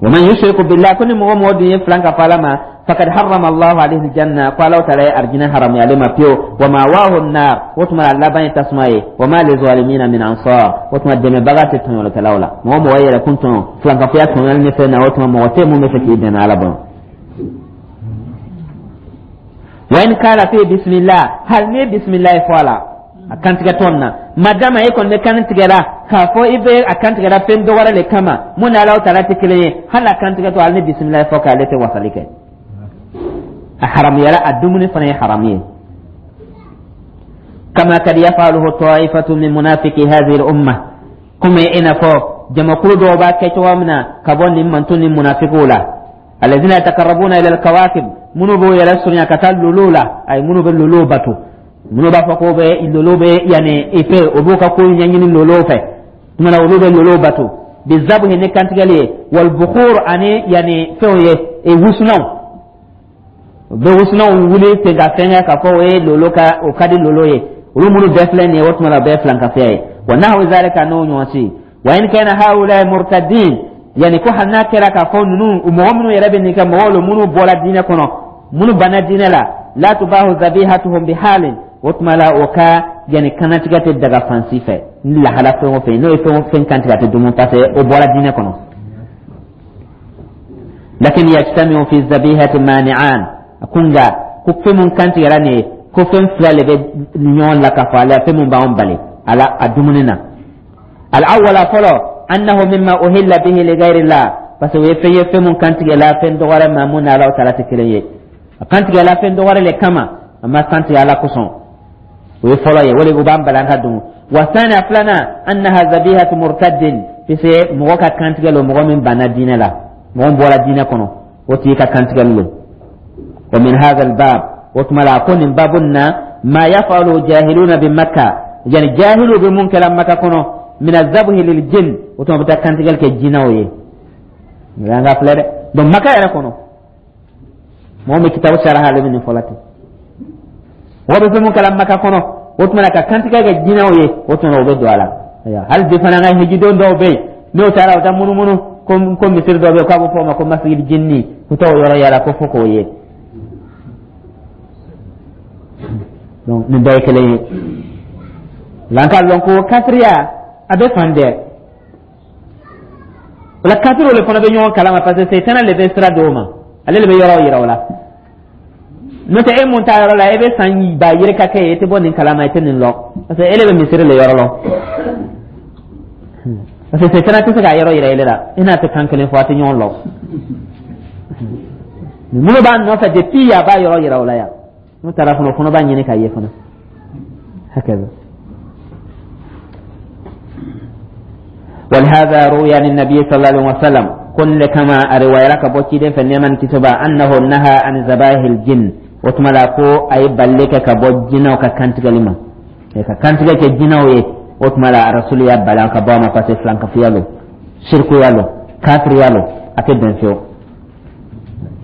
[SPEAKER 1] Wa man yushriku billah, ko ni mɔgɔ mɔgɔ dun ye filan ka fɔ Ala ma, faqad harrama Allahu alayhi aljanna, ko Ala taala ye arijinɛ haramuya ale ma pewu, wa ma'wahu an-nar, o tuma a laban ye tasuma ye, wa ma lizalimina min ansar, o tuma dɛmɛbaga tɛ tɔɲɔlikɛlaw la. Mɔgɔ mɔgɔ yɛrɛ kun tɔɲɔ filankafoya tɔɲɔli ni fɛn na, o tuma mɔgɔ tɛ mun bɛ fɛ k'i dɛmɛ Ala bolo. Wa in kala fi bismillah, hali ni bismillah fɔ a la a kantigɛtɔ na, madama e kɔni bɛ kan tigɛla k'a fɔ i bɛ a kan tigɛla fɛn dɔ wɛrɛ le kama mun ni Alahu taala tɛ kelen ye, hali a kantigɛtɔ, hali ni bisimilayi fɔ k'ale tɛ wasali kɛ, a haramuyara, a dumuni fana ye haramu ye. Kama kad yafaluhu taifatu min munafiki hadhihi al-umma, komi i n'a fɔ jamakulu dɔw b'a kɛ cogoya min na ka bɔ nin manton ni munafikiw la, alladhina yatakarrabuna ila al-kawakib, minnu b'o yɛrɛ surunya ka taa lolow la, ayi, minnu bɛ lolow bato, minnu b'a fɔ ko bɛ lolo bɛ yanni ife, o b'u ka ko ɲɛɲini lolow fɛ, tuma na olu bɛ lolow bato, bizabuhi, ni kantigɛli ye, wal bukhur, ani yanni fɛnw ye, e wusunanw, u bɛ wusunanw wuli ten ka fɛn kɛ k'a fɔ o ye lolo ka, o ka di lolo ye, olu minnu bɛɛ filɛ nin ye, o tuma na o bɛɛ ye filankafoya ye, wa nahwu zalika, n'o ɲɔgɔn si. Wa in kana haula murtadin, yani ko hali n'a kɛra k'a fɔ ninnu mɔgɔ minnu yɛrɛ bɛ nin kɛ, mɔgɔw lo minnu bɔra diinɛ kɔnɔ, minnu banna diinɛ la, la tubahu zabihatuhum bihalin, o tuma la o ka yani kanatigɛ tɛ daga fan si fɛ ni lahala fɛn o fɛn, n'o ye fɛn o fɛn kantigɛ, a tɛ dumu, parce que o bɔra diinɛ kɔnɔ. Lakin yajtamiu fi zabihati mani'an, a ko nka ko fɛn mun kantigɛra nin ye, ko fɛn fila le bɛ ɲɔgɔn la k'a fɔ ale fɛn mun b'anw bali a la a dumuni na. Al-awwala, fɔlɔ, annahu mimma uhilla bihi li ghayri Allah, parce que o ye fɛn ye, fɛn mun kantigɛla fɛn dɔ wɛrɛ ma mun ni Alahu taala tɛ kelen ye. A kantigɛla fɛn dɔ wɛrɛ le kama, a ma kantigɛ Ala kosɔn. O ye fɔlɔ ye, o de o b'an bala an ka dun. Wa sani, a filanan, annaha zabihatu murtaddin, puisque mɔgɔ ka kantigɛ lo, mɔgɔ min banna diinɛ la, mɔgɔ min bɔra diinɛ kɔnɔ, o tigi ka kantigɛli lo. Wa min hadha albab, o tuma la a ko nin babu na, ma yafalu jahiluna bi Makka, yani jahilu bɛ mun kɛla Maka kɔnɔ, min azabhi lil jinn, o tuma bɛ taa kantigɛli kɛ jinɛw ye. An ka filɛ dɛ. Donc Maka yɛrɛ kɔnɔ, mɔgɔ min kitabu saraha, ale bɛ nin fɔla ten, mɔgɔ bɛ fɛn mun kɛla Maka kɔnɔ, o tuma na ka kantigɛ kɛ jinɛw ye, o tuma o bɛ don a la. Hali bi fana, an ka hijidon dɔw bɛ yen, n'o taara, o taa munumunu ko ko misiri dɔ bɛ yen k'a bɛ fɔ o ma ko masigidi jinni, k'u t'o yɔrɔ yala ko fo k'o ye. Donc nin bɛɛ ye kelen ye. Nka an k'a lɔn ko kafiriya a bɛ fan bɛɛ. O la, kafiriw le fana bɛ ɲɔgɔn kalama, parce que sɛtana le bɛ sira d'o ma, ale le bɛ yɔrɔw yira o la. N'o tɛ, e mun t'a yɔrɔ la, e bɛ san ba yirika kɛ yen, e tɛ bɔ nin kalama, e tɛ nin lɔn, parce que e le bɛ misiri le yɔrɔ lɔn, parce que sɛtana tɛ se k'a yɔrɔ yira e la, e n'a tɛ kan kelen fɔ, a tɛ ɲɔgɔn lɔn. Minnu b'a nɔfɛ depuis a b'a yɔrɔ yira o la yan, n'u taara fana, o fana b'a ɲini k'a ye fana. Hakaza. ولهذا روي عن النبي صلى الله عليه وسلم كل كما رواية كبوتي في النعمان كتبا أنه نهى عن ذبائح الجن. وتملا كو أي بلك كبو جنا وكانت كلمة كانت كجنا وي. وتملا رسول يا بلا كبو ما فاسي فلان كفيالو، شرك يالو، كافر يالو، أكيد بنفيو.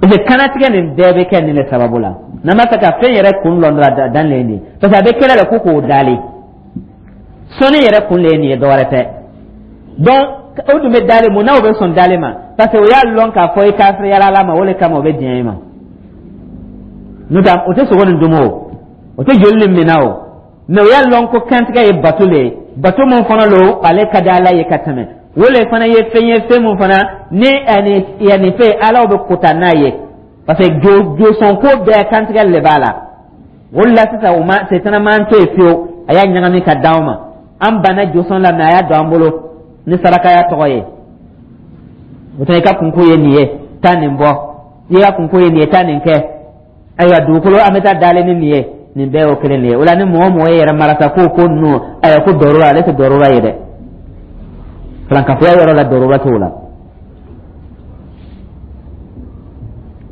[SPEAKER 1] إذا كانت كان bɛɛ bɛ kɛ nin de sababu la, n'an b'a fɛ ka fɛn yɛrɛ kun lɔn dɔrɔn, dan le ye nin ye, parce que a bɛ kɛlɛ la ko k'o dalen sɔnni yɛrɛ kun le ye nin ye, dɔwɛrɛ tɛ. Donc o dun bɛ dalen mun na? O bɛ sɔn dalen ma parce que o y'a lɔn k'a fɔ i kafiriyara Ala ma, o de kama o bɛ diɲɛ i ma. N'o tɛ, o tɛ sogo nin dun o, o tɛ joli nin minɛ o, mais o y'a lɔn ko kantigɛ ye bato le ye, bato mun fana lo, ale ka di Ala ye ka tɛmɛ. O le fana ye fɛn ye, fɛn mun fana ni ani yanni fɛn Alaw bɛ kota n'a ye, parce que jo josɔn ko bɛɛ kantigɛ le b'a la. O de la sisan, o ma setana m'an to yen fiyewu, a y'a ɲagami ka d'anw ma. An banna josɔn la, mais a y'a don an bolo ni sarakaya tɔgɔ ye. O tɛ i ka kunko ye nin ye, taa nin bɔ. I ka kunko ye nin ye, taa nin kɛ. Ayiwa, dugukolo an bɛ taa dalen ni nin ye, nin bɛɛ y'o kelen de ye. O la, ni mɔgɔ mɔgɔ ye yɛrɛ marasa ko ko ninnu, ayiwa, ko dɔrɔra, ale tɛ dɔrɔra ye dɛ. Farankafoya yɔrɔ la, dɔrɔra t'o la.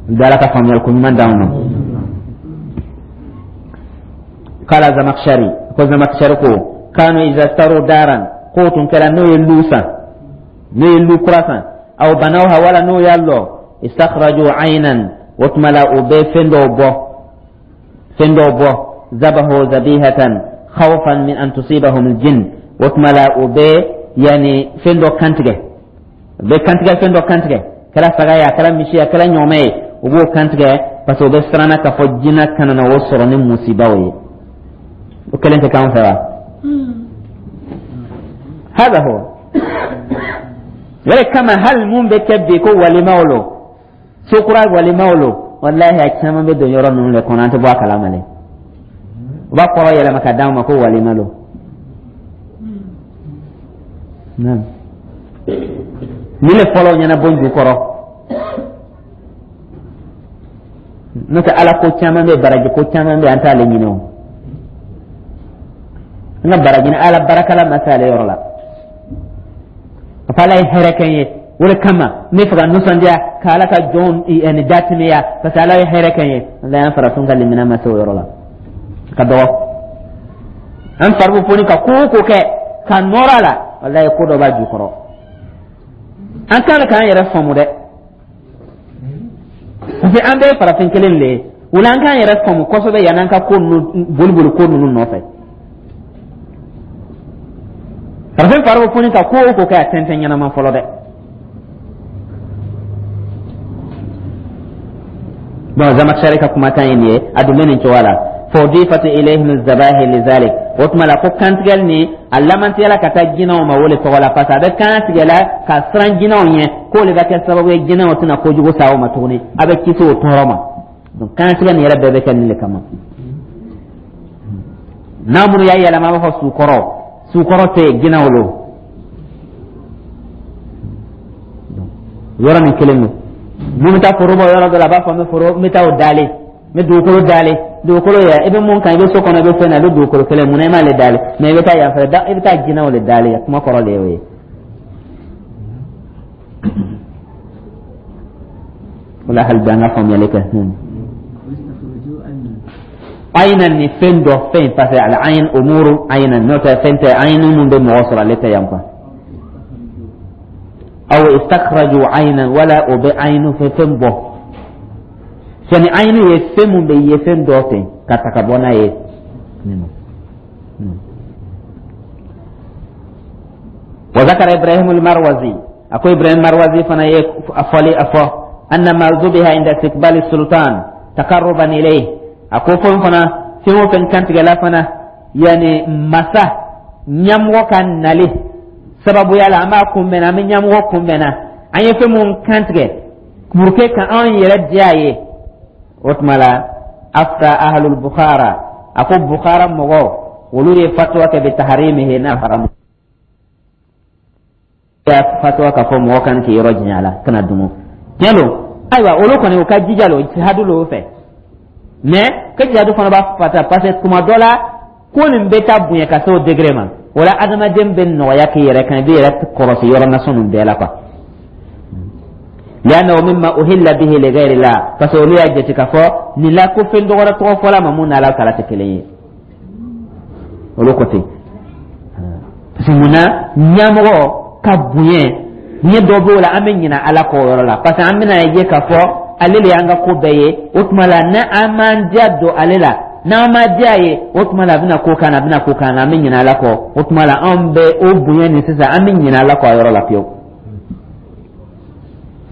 [SPEAKER 1] N bɛ Ala ka faamuyali ko ɲuman d'anw ma. Kala Zamakshari ko, Zamakshari ko kanu iza staru daran, k'o tun kɛra n'o ye lu san, n'o ye lu kura san, aw banawha, wala n'o y'a lɔ, istakhraju aynan, o tuma la o bɛ fɛn dɔw bɔ, fɛn dɔw bɔ, zabahu zabihatan khawfan min an tusibahum aljin. O tuma la o bɛ yani fɛn dɔ kantigɛ, u bɛ kantigɛ, fɛn dɔ kantigɛ, kɛra saga ye, a kɛra misi ye, a kɛra ɲɔgɔmɛ ye, u b'o kantigɛ parce que u bɛ siranna k'a fɔ jinɛ kana na o sɔrɔ ni musibaw ye. O kelen tɛ k'an fɛ wa? Hada huwa yɛrɛ kama. Hali mun bɛ kɛ bi ko walimaw lo, so kura walimaw lo, walahi, a caman bɛ don yɔrɔ ninnu de kɔnɔ, an tɛ bɔ a kalama dɛ. U b'a kɔrɔ yɛlɛma ka d'anw ma ko walima lo. Nin le fɔlɔ ɲɛna bon jukɔrɔ. N'o tɛ, Ala ko caman bɛ, baraji ko caman bɛ, an t'ale ɲini o. An ka baraji Ala barakala ma se ale yɔrɔ la. A fɔ Ala ye hɛrɛ kɛ n ye, o de kama n bɛ fɛ ka nisɔndiya ka Ala ka jɔnw ani datɛmɛya, parce que Ala ye hɛrɛ kɛ n ye. Ala y'an farafin ka limaniya ma se o yɔrɔ la, ka dɔgɔ. An fari bɛ foni ka ko o ko kɛ ka nɔrɔ a la, walayi, ko dɔ b'a jukɔrɔ. An kan k'an yɛrɛ faamu dɛ, parce que an bɛɛ ye farafin kelen de ye. O la, an k'an yɛrɛ faamu kosɛbɛ yan'an ka ko ninnu boli boli ko ninnu nɔfɛ. Farafin fari bɛ foni ka ko o ko kɛ, a tɛntɛn ɲɛnama fɔlɔ dɛ. Bon, Zamakshari ka kumakan ye nin ye, a dun bɛ nin cogoya la. Fawdifat ilayhim zabahi lizalik, o tuma la ko kantigɛli nin a lamantiyala ka taa jinɛw ma o le tɔgɔ la, parce que a bɛ kan tigɛ la ka siran jinɛw ɲɛ, k'o le bɛ kɛ sababu ye jinɛw tɛna kojugu sa o ma tuguni, a bɛ kisi o tɔɔrɔ ma. Donc kantigɛ nin yɛrɛ bɛɛ bɛ kɛ nin le kama. N'a minnu y'a yɛlɛma, a b'a fɔ sukɔrɔ, sukɔrɔ tɛ yen, jinɛw lo. Yɔrɔ nin kelen don. Mun bɛ taa foro bɔ yɔrɔ dɔ la, a b'a fɔ n bɛ foro, n bɛ taa o dalen. N bɛ dugukolo dalen, dugukolo yɛ, i bɛ mun kan, i bɛ so kɔnɔ, i bɛ fɛn na, i bɛ dugukolo kelen, mun na i m'ale dalen? Mais i bɛ taa yan fɛ, i bɛ taa jinɛw de dalen. Kuma kɔrɔ de y'o ye. O la, hali bi an ka faamuyali kɛ. Ayina ni fɛn dɔ, fɛn, parce que al ayin umuru ayina, n'o tɛ fɛn tɛ ayin mun bɛ mɔgɔ sɔrɔ, ale tɛ yan quoi. Aw istakhraju aynan, wala o bɛ ayinu fɛ fɛn bɔ. Sani ayinu ye fɛn mun bɛ ye fɛn dɔ fɛ ka ta ka bɔ n'a ye. Wa zakara Ibrahim al-Marwazi, ako Ibrahim Marwazi fana ye a fɔli a fɔ anna ma zubiha inda istiqbali sultan taqarruban ilayh. A ko fɛn fana, fɛn o fɛn kantigɛla fana, yani masa ɲɛmɔgɔ ka nali sababuya la, an b'a kunbɛnna, an bɛ ɲɛmɔgɔ kunbɛnna, an ye fɛn mun kantigɛ pour que ka anw yɛrɛ diya ye. O tuma la, afta ahlul Bukhara, a ko Bukhara mɔgɔw, olu ye fatwa kɛ bi taharimihi, n'a haramu fatwa ka fɔ mɔgɔ kan k'i yɔrɔ janya a la, kana dumu. Tiɲɛ don, ayiwa, olu kɔni u ka jija lo, jihadu lo fɛ, mais ka jihadu fana b'a fata, parce que tuma dɔ la ko nin bɛ taa bonya ka se o degré ma. O la, adamaden bɛ nɔgɔya k'i yɛrɛ kan, i b'i yɛrɛ kɔlɔsi yɔrɔ nasɔn ninnu bɛɛ la quoi. Li'annahu mimma uhilla bihi li ghayri Allah, parce que olu y'a jate k'a fɔ nin la ko fɛn dɔgɔrɛ tɔgɔ fɔla ma mun n'Ala taala tɛ kelen ye. Olu ko ten, parce que munna ɲɛmɔgɔ ka bonya ɲɛ dɔ b'o la, an bɛ ɲinɛ Ala kɔ o yɔrɔ la, parce que an bɛna ye k'a fɔ ale de y'an ka ko bɛɛ ye. O tuma la, ni an m'an diya don ale la, n'an ma diya ye, o tuma la a bɛna ko k'an na, a bɛna ko k'an na, an bɛ ɲinɛ Ala kɔ. O tuma la, anw bɛ o bonya nin sisan, an bɛ ɲinɛ Ala kɔ a yɔrɔ la pewu.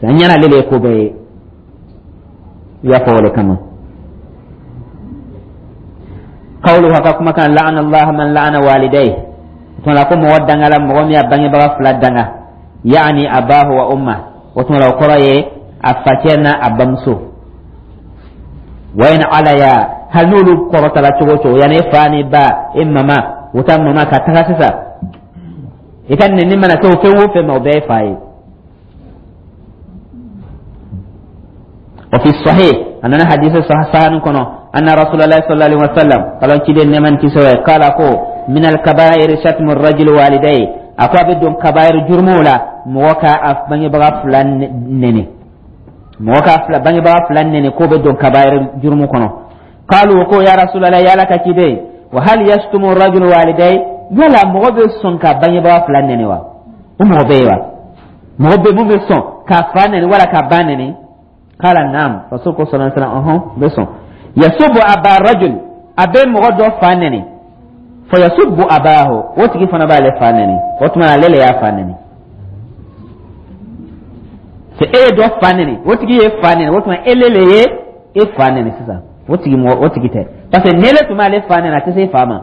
[SPEAKER 1] An ɲɛna ale de ye ko bɛɛ ye, i y'a fɔ o de kama. Qawluhu, ka kumakan, la'ana Allah man la'ana walidayhi. O tuma la, ko mɔgɔ dangala mɔgɔ min y'a bangebaga fila danga, yaani abahu wa umma. O tuma la, o kɔrɔ ye a facɛ n'a a bamuso. Wa in alaya, hali n'olu kɔrɔtala cogo o cogo, yanni e fa ni ba, e mama, o ta mama ka taga sisan, i ka nɛni mana se o fɛn o fɛn ma, o bɛɛ ye fa ye. وفي الصحيح أننا حديث صحيح كنا أن رسول الله صلى الله عليه وسلم قال كده نمن كسوة قال أكو من الكبائر شتم الرجل والديه. أكو بدون كبائر جرمولا موكا أف بني بغا فلان نني، موكا فلان بني بغا فلان نني، كو بدون كبائر جرمو كنا. قالوا كو يا رسول الله، يا لك كده، وهل يشتم الرجل والديه؟ يلا مغبي سنكا بني بغا فلان نني وا ومغبي وا مغبي مغبي سن كفان نني ولا كبان نني. قال نعم، رسول الله صلى الله عليه وسلم أها بسون يسب أبا الرجل، أبي مغدو فانني، فيسب أباه وتجي فانا بالي فانني، وتما ليلة يا فانني سي دو فانني، وتجي فانني، وتما إلي إيه فانني سيسا وتجي مو وتجي تي بس نيلة تما لي فانني أتسي فاما.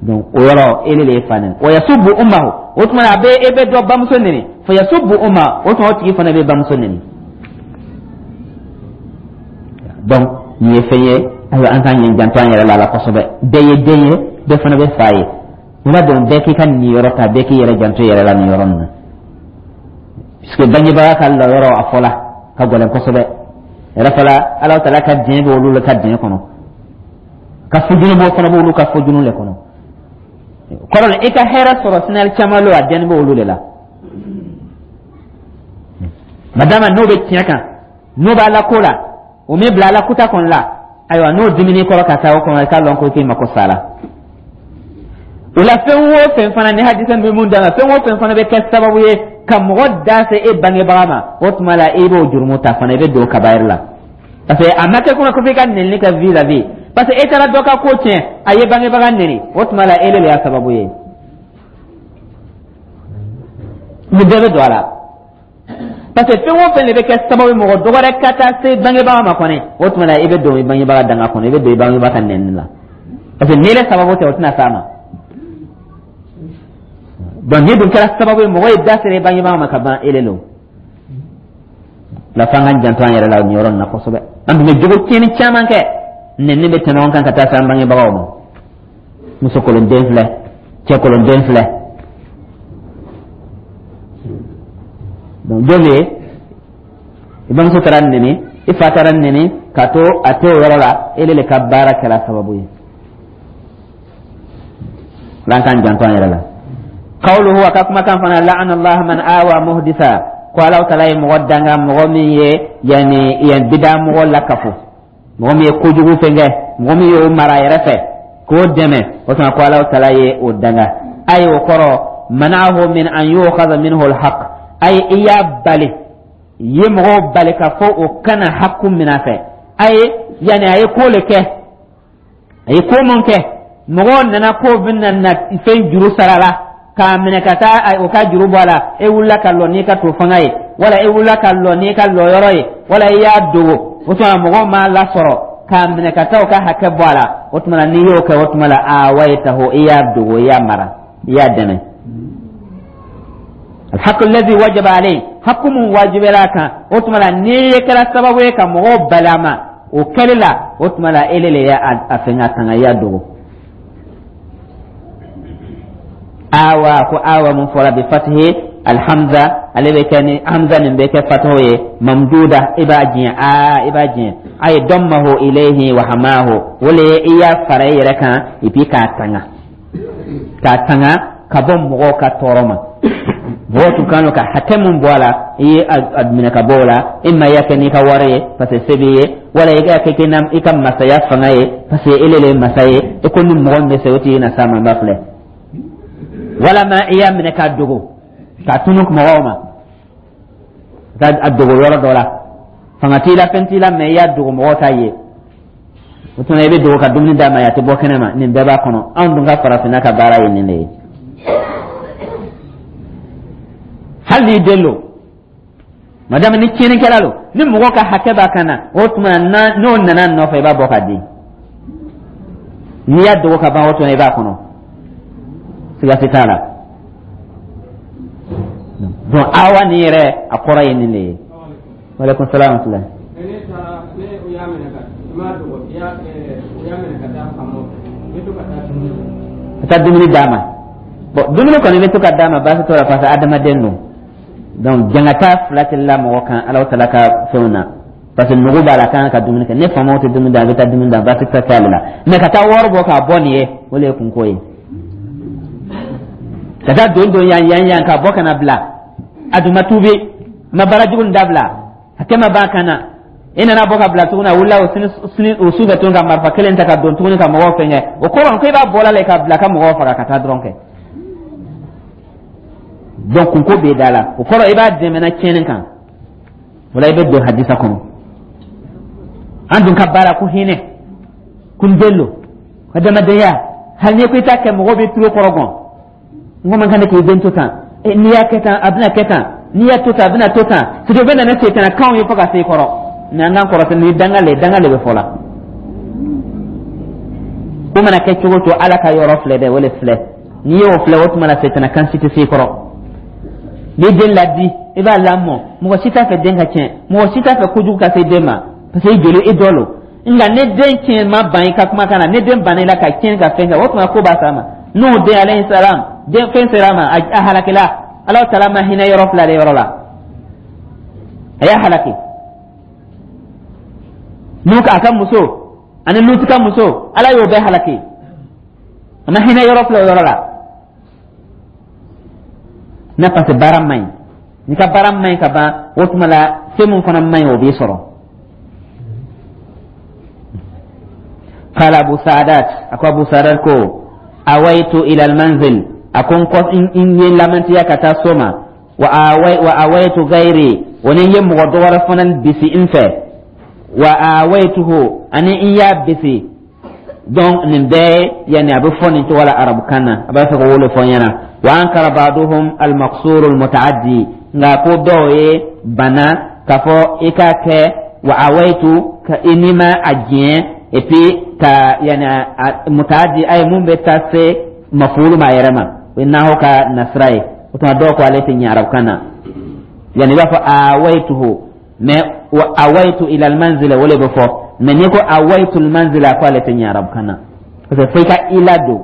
[SPEAKER 1] Donc o yɔrɔ ele le ye fa nɛni. Wa yasubbu ummahu, o tuma a bɛ e bɛ dɔ bamuso nɛni, fa yasubbu umma, o tuma o tigi fana bɛ bamuso nɛni. Donc nin ye fɛn ye, ayiwa, an k'an ɲɛ janto an yɛrɛ la la kosɛbɛ. Bɛɛ ye den ye, bɛɛ fana bɛ fa ye. O la donc bɛɛ k'i ka nin yɔrɔ ta, bɛɛ k'i yɛrɛ janto i yɛrɛ la nin yɔrɔ nin na, puisque bangebaga ka lɔyɔrɔ a fɔla ka gɛlɛn kosɛbɛ yɛrɛ fɔla. Ala taala ka diɲɛ bɛ olu ka diɲɛ kɔnɔ, ka fujunu b'o fana b'olu ka fujunu le kɔnɔ. Kɔrɔ la, i ka hɛrɛ sɔrɔ sinali caman lo, a dɛnni bɛ olu de la. Madama n'o bɛ tiɲɛ kan, n'o b'a la ko la, o min bila ala kuta kɔni la, ayiwa, n'o dimini kɔrɔ ka taa o kɔnɔ, i k'a lɔn ko k'i mako sa la. O la, fɛn o fɛn fana ni hadisa bɛ mun d'a ma, fɛn o fɛn fana bɛ kɛ sababu ye ka mɔgɔ da se e bangebaga ma, o tuma la i b'o jurumu ta fana, i bɛ don kabayiri la, parce que a ma kɛ kuma ko f'i ka nɛnini kɛ vis-à-vis, parce que e taara dɔ ka ko tiɲɛ, a ye bangebaga nɛni, o tuma la e de y'a sababu ye. Nin bɛɛ bɛ don a la, parce que fɛn o fɛn de bɛ kɛ sababu ye mɔgɔ dɔgɔrɛ ka taa se bangebaga ma kɔni, o tuma la i bɛ don i bangebaga danga kɔnɔ, i bɛ don i bangebaga ka nɛni la, parce que n'e sababu tɛ, o tɛna s'a ma. Donc n'i dun kɛra sababu ye mɔgɔ ye da sera i bangebaga ma ka ban, e de don la. F'an k'an janto an yɛrɛ la nin yɔrɔ nin na kosɛbɛ. An tun bɛ jogo tiɲɛni caman kɛ, nɛni bɛ tɛmɛ an kan ka taa se an bangebagaw ma. Muso kolonden filɛ, cɛ kolonden filɛ. Donc don bɛ yen, i bamuso taara nɛni. I fa taara neni ka to a t'o yɔrɔ la, ele le ka baara kɛra sababu ye. L'an k'an janto an yɛrɛ la. Qawluhu, a ka kumakan fana, la'ana Allah man awa muhdisa, ko Ala taala ye mɔgɔ danga, mɔgɔ min ye yani yan bida mɔgɔ lakafo, mɔgɔ min ye kojugu fɛn kɛ, mɔgɔ min y'o mara a yɛrɛ fɛ k'o dɛmɛ, o tuma ko Ala taala ye o danga. Ayi, o kɔrɔ mana'ahu min an yu'khadha minhu al-haqq, ayi, i y'a bali, i ye mɔgɔw bali ka fɔ o kana hakku minɛ a fɛ. Ayi, yani a ye ko le kɛ, a ye ko mun kɛ, mɔgɔw nana ko bɛna na fɛn juru sara la k'a minɛ ka taa o ka juru bɔ a la, e wulila ka lɔ n'i ka to fanga ye, wala e wulila ka lɔ n'i ka lɔyɔrɔ ye, wala i y'a dogo, o tuma mɔgɔw m'a lasɔrɔ k'a minɛ ka taa o ka hakɛ bɔ a la. O tuma na n'i y'o kɛ, o tuma la awaytahu, i y'a dogo, i y'a mara, i y'a dɛmɛ. Alhaqu allazi wajaba alayhi, hakku mun wajibila kan, o tuma la n'i ye kɛra sababu ye ka mɔgɔw bali a ma o kɛli la, o tuma la ele le y'a a fɛn ka tanga, i y'a dogo. Awa, ko awa mun fɔra bi fatihi alhamza, ale bɛ kɛ ni hamza nin bɛ kɛ fataho ye, mamduda, i b'a diɲɛ, a i b'a diɲɛ, a ye dammahu ilayhi wa hamahu, o le ye i y'a fara i yɛrɛ kan et puis k'a tanga k'a tanga ka bɔ mɔgɔw ka tɔɔrɔ ma. Mɔgɔw tun kan ka hakɛ mun bɔ a la, i ye a minɛ ka bɔ o la. E ma y'a kɛ n'i ka wari ye parce que se b'i ye, wala i k'a kɛ i ka masaya fanga ye parce que ele le ye masa ye, i ko ni mɔgɔ min bɛ se, o tigi na s'a ma, n b'a filɛ. Walama i y'a minɛ k'a dogo, k'a tunu mɔgɔw ma, ka a dogo yɔrɔ dɔ la, fanga t'i la, fɛn t'i la, mais i y'a dogo, mɔgɔw t'a ye. O tuma i bɛ dogo ka dumuni d'a ma, a tɛ bɔ kɛnɛ ma. Nin bɛɛ b'a kɔnɔ. Anw dun ka farafinna ka baara ye nin de ye. Hali n'i den lo, madame, ni tiɲɛnikɛla lo, ni mɔgɔ ka hakɛ b'a kan na, o tuma n'o nana nɔfɛ, i b'a bɔ k'a di. N'i y'a dogo ka ban, o tuma i b'a kɔnɔ, siga si t'a la. Donc awa nin yɛrɛ, a kɔrɔ ye nin de ye. Waaleykum salaam wa rahmatulah.
[SPEAKER 2] Ne taara ne o y'a minɛ ka i m'a dogo, i y'a o y'a minɛ ka taa faamaw fɛ, i bɛ to ka taa dumuni
[SPEAKER 1] Ka taa dumuni d'a ma. Bon, dumuni kɔni bɛ to ka d'a ma, baasi t'o la parce que adamaden don. Donc jangata fila tɛ la mɔgɔ kan Alahu taala ka fɛnw na, parce que nugu b'a la, kan ka dumuni kɛ. Ne faamaw tɛ dumuni d'a, a bɛ taa dumuni d'a, baasi tɛ k'ale la. Mais ka taa wari bɔ k'a bɔ nin ye, o de ye kunko ye. Ka taa don don yan yan yan ka bɔ ka na bila, a dun ma tuubi, ma baara jugu nin dabila, hakɛ ma ban kan na, i nana bɔ ka bila tuguni, a wulila o sini sini o su fɛ tuguni ka marifa kelen ta ka don tuguni ka mɔgɔw fɛngɛ. O kɔrɔ ko i b'a bɔla la ka bila ka mɔgɔw faga ka taa dɔrɔn kɛ. Donc kunko b'e da la, o kɔrɔ i b'a dɛmɛna tiɲɛni kan. O la i bɛ don hadisa kɔnɔ. An dun ka baara ko hinɛ kun den lo, adamadenya, hali n'i ko i t'a kɛ, mɔgɔw bɛ tulo kɔrɔ gɔn. N ko man kan k'i den to tan, n'i y'a kɛ tan, a bɛna kɛ tan, n'i y'a to tan, a bɛna to tan. C'est o bɛ na ni setana kanw ye fo ka se i kɔrɔ. Mais an k'an kɔrɔtɛ ni danga le, danga le bɛ fɔ la. Ko mana kɛ cogo o cogo, Ala ka yɔrɔ filɛ dɛ, o le filɛ. N'i y'o filɛ, o tuma na setana kan si tɛ se i kɔrɔ. N'i den ladi, i b'a lamɔ, mɔgɔ si t'a fɛ den ka tiɲɛ, mɔgɔ si t'a fɛ kojugu ka se den ma parce que i joli i dɔ lo. Nka ni den tiɲɛ ma ban i ka kumakan na, ni den banna i la ka tiɲɛ ka fɛn kɛ, o tuma ko b'a s'a ma. N'o den alayhi salam, den fɛn sera a ma, a halakila. Ala taala ma hinɛ yɔrɔ fila de yɔrɔ la, a y'a halaki. N'u a ka muso ani Lutu ka muso, Ala y'o bɛɛ halaki, a ma hinɛ yɔrɔ fila o yɔrɔ la. Na parce que baara man ɲi, n'i ka baara man ɲi ka ban, o tuma la fɛn mun fana man ɲi, o b'i sɔrɔ. Qala Abu Sa'adat, ako Abu Sa'adat ko awaitu ila almanzil, ako n ye lamantiya ka taa so ma, wa awai wa awaitu gairi, wani ye mɔgɔ dɔ wɛrɛ fana bisi n fɛ, wa awaituhu, ani n y'a bisi. Donc nin bɛɛ yani a bɛ fɔ nin cogo la arabukan na, a b'a fɛ ka wolo fɔ n ɲɛna. Wa ankara ba'duhum al-maqsur al-mutaaddi, nka ko dɔw ye bana k'a fɔ i k'a kɛ wa awaitu ka i n'i ma a diɲɛ, et puis ka yani mutaaddi a ye mun bɛ taa se mafulu ma a yɛrɛ ma, o ye naho ka nasira ye. O tuma dɔw ko ale tɛ ɲɛ arabukan na, yani i b'a fɔ awaituhu, mais wa awaitu ila almanzila, o le bɛ fɔ. Mais n'i ko awaitu almanzila, ko ale tɛ ɲɛ arabukan na parce que fo i ka ila don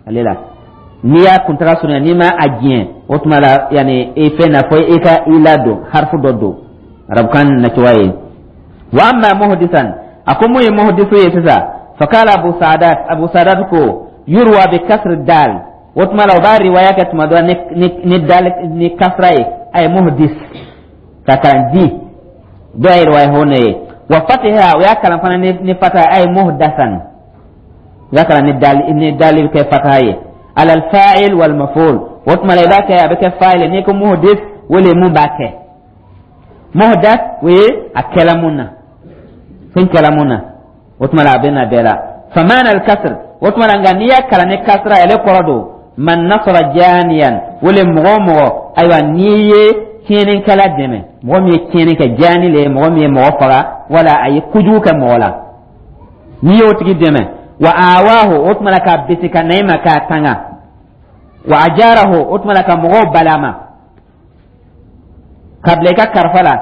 [SPEAKER 1] ale la. N'i y'a kuntaga surunya, n'i ma a diɲɛ, o tuma la yani i fɛn na, fo i ka ila don, harifu dɔ don, arabukan nacogoya ye. Wa amma muhdisan, a ko mun ye muhdisu ye sisan? Fakala Abu Saadat, Abu Saadat ko yurwa bi kasri dal. O tuma la, o b'a riwaya kɛ tuma dɔ ni ni ni dal ni kasra ye, ay muhdis ka kalan di dɔ ye riwaya hɔn ye. Wa fatiha, o y'a kalan fana ni ni fataha, ay muhdasan, o y'a kalan ni dal ni dal kɛ fataha ye, ala al-fa'il wal maf'ul. O tuma la, i b'a kɛ, a bɛ kɛ fa'il. N'i ko muhdis, o le mun b'a kɛ. Muhdas, o ye a kɛla mun na, fɛn kɛla mun na. O tuma la, a bɛ na bɛɛ la. Famana al-kasr, o tuma la, nka n'i y'a kalan ni kasra, ale kɔrɔ don man nasara janiyan, o le mɔgɔ o mɔgɔ, ayiwa, n'i ye tiɲɛnikɛla dɛmɛ, mɔgɔ min ye tiɲɛni kɛ. Jani le ye mɔgɔ min ye mɔgɔ faga wala a ye kojugu kɛ mɔgɔ la, n'i y'o tigi dɛmɛ. Wa awahu, o tuma la, k'a bisi ka na i ma k'a tanga. Wa ajarahu, o tuma la, ka mɔgɔw balama ka bila i ka karifa la.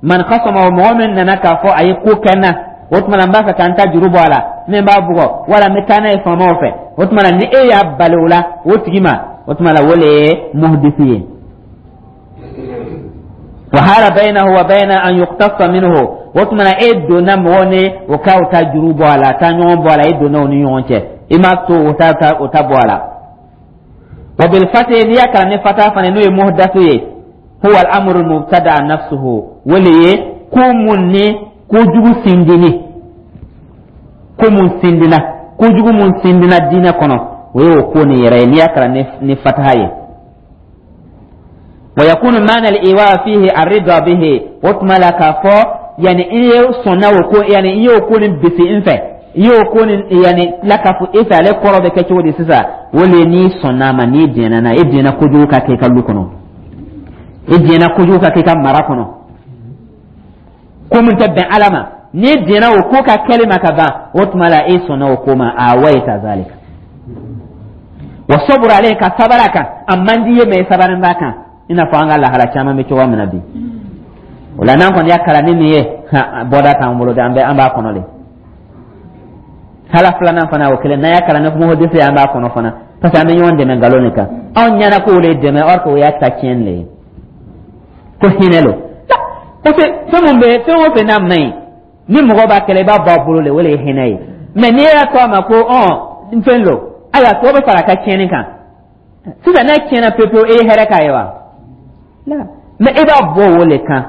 [SPEAKER 1] Man khasama, mɔgɔ min nana k'a fɔ a ye ko kɛ n na, o tuma la, n b'a fɛ ka n ta juru bɔ a la, min b'a bugɔ wala n bɛ taa n'a ye faamaw fɛ, o tuma la, ni e y'a bali o la o tigi ma, o tuma la, o le ye muhdisi ye. Wa hala baynahu wa bayna an yuqtassa minhu, o tuma la, e donna mɔgɔ ni o ka o ta juru bɔ a la, taa ɲɔgɔn bɔ a la, e donna o ni ɲɔgɔn cɛ, i m'a to o ta o ta bɔ a la. Wa bil fatih, n'i y'a kalan ni fata fana, n'o ye muhdathu ye, huwa al-amru al-mubtada nafsuhu, o le ye ko mun ni kojugu sindini, ko mun sindina, kojugu mun sindina diinɛ kɔnɔ, o ye o ko nin yɛrɛ ye, n'i y'a kalan ni ni fataha ye. Wa yakunu maana al-iwa fihi ar-rida bihi, o tuma la, k'a fɔ yani i ye sɔnna o ko, yani i y'o ko nin bisi n fɛ, i y'o ko nin yani lakafu e fɛ, ale kɔrɔ bɛ kɛ cogo di sisan? O le ye n'i sɔnna a ma, n'i diɲɛna n'a ye, e diɲɛna kojugu ka kɛ i ka lu kɔnɔ, e diɲɛna kojugu ka kɛ i ka mara kɔnɔ, ko min tɛ bɛn Ala ma, n'i diɲɛna o ko ka kɛli ma ka ban, o tuma la, e sɔnna o ko ma. A wayita zalika wa saburu ale ka sabari a kan, a man di ye, mɛ sabari b'a kan, i n'a fɔ an ka lahala caman bɛ cogoya min na bi. O la, n'an kɔni y'a kalan ni nin ye, bɔda t'an bolo dɛ, an bɛ an b'a kɔnɔ de. Hala filanan fana, o kelen, n'an y'a kalan ni muhdisi ye, an b'a kɔnɔ fana, parce que an bɛ ɲɔgɔn dɛmɛ nkalon de kan. Anw ɲɛna k'o le dɛmɛ, or que o y'a ta tiɲɛni le ye, ko hinɛ lo. Parce que fɛn mun bɛ, fɛn o fɛn n'a man ɲi, ni mɔgɔ b'a kɛlɛ, i b'a bɔ a bolo le, o le ye hinɛ ye. Mɛ n'i y'a to a ma ko ɔn n fɛn lo, ayiwa, tɔ bɛ fara a ka tiɲɛni kan sisan. N'a tiɲɛna pewu pewu, e ye hɛrɛ k'a ye wa? La, mɛ e b'a bɔ o le kan,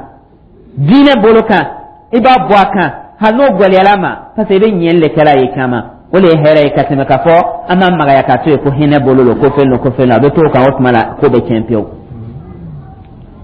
[SPEAKER 1] diinɛ bolo kan, i b'a bɔ a kan, hali n'o gɛlɛyara ma, parce que i bɛ ɲɛli de kɛla ye caman, o de ye hɛrɛ ye ka tɛmɛ k'a fɔ an b'a magaya k'a to yen ko hinɛ bolo lo, ko fɛn lo, ko fɛn lo. A bɛ to o kan, o tuma la, ko bɛ tiɲɛ pewu.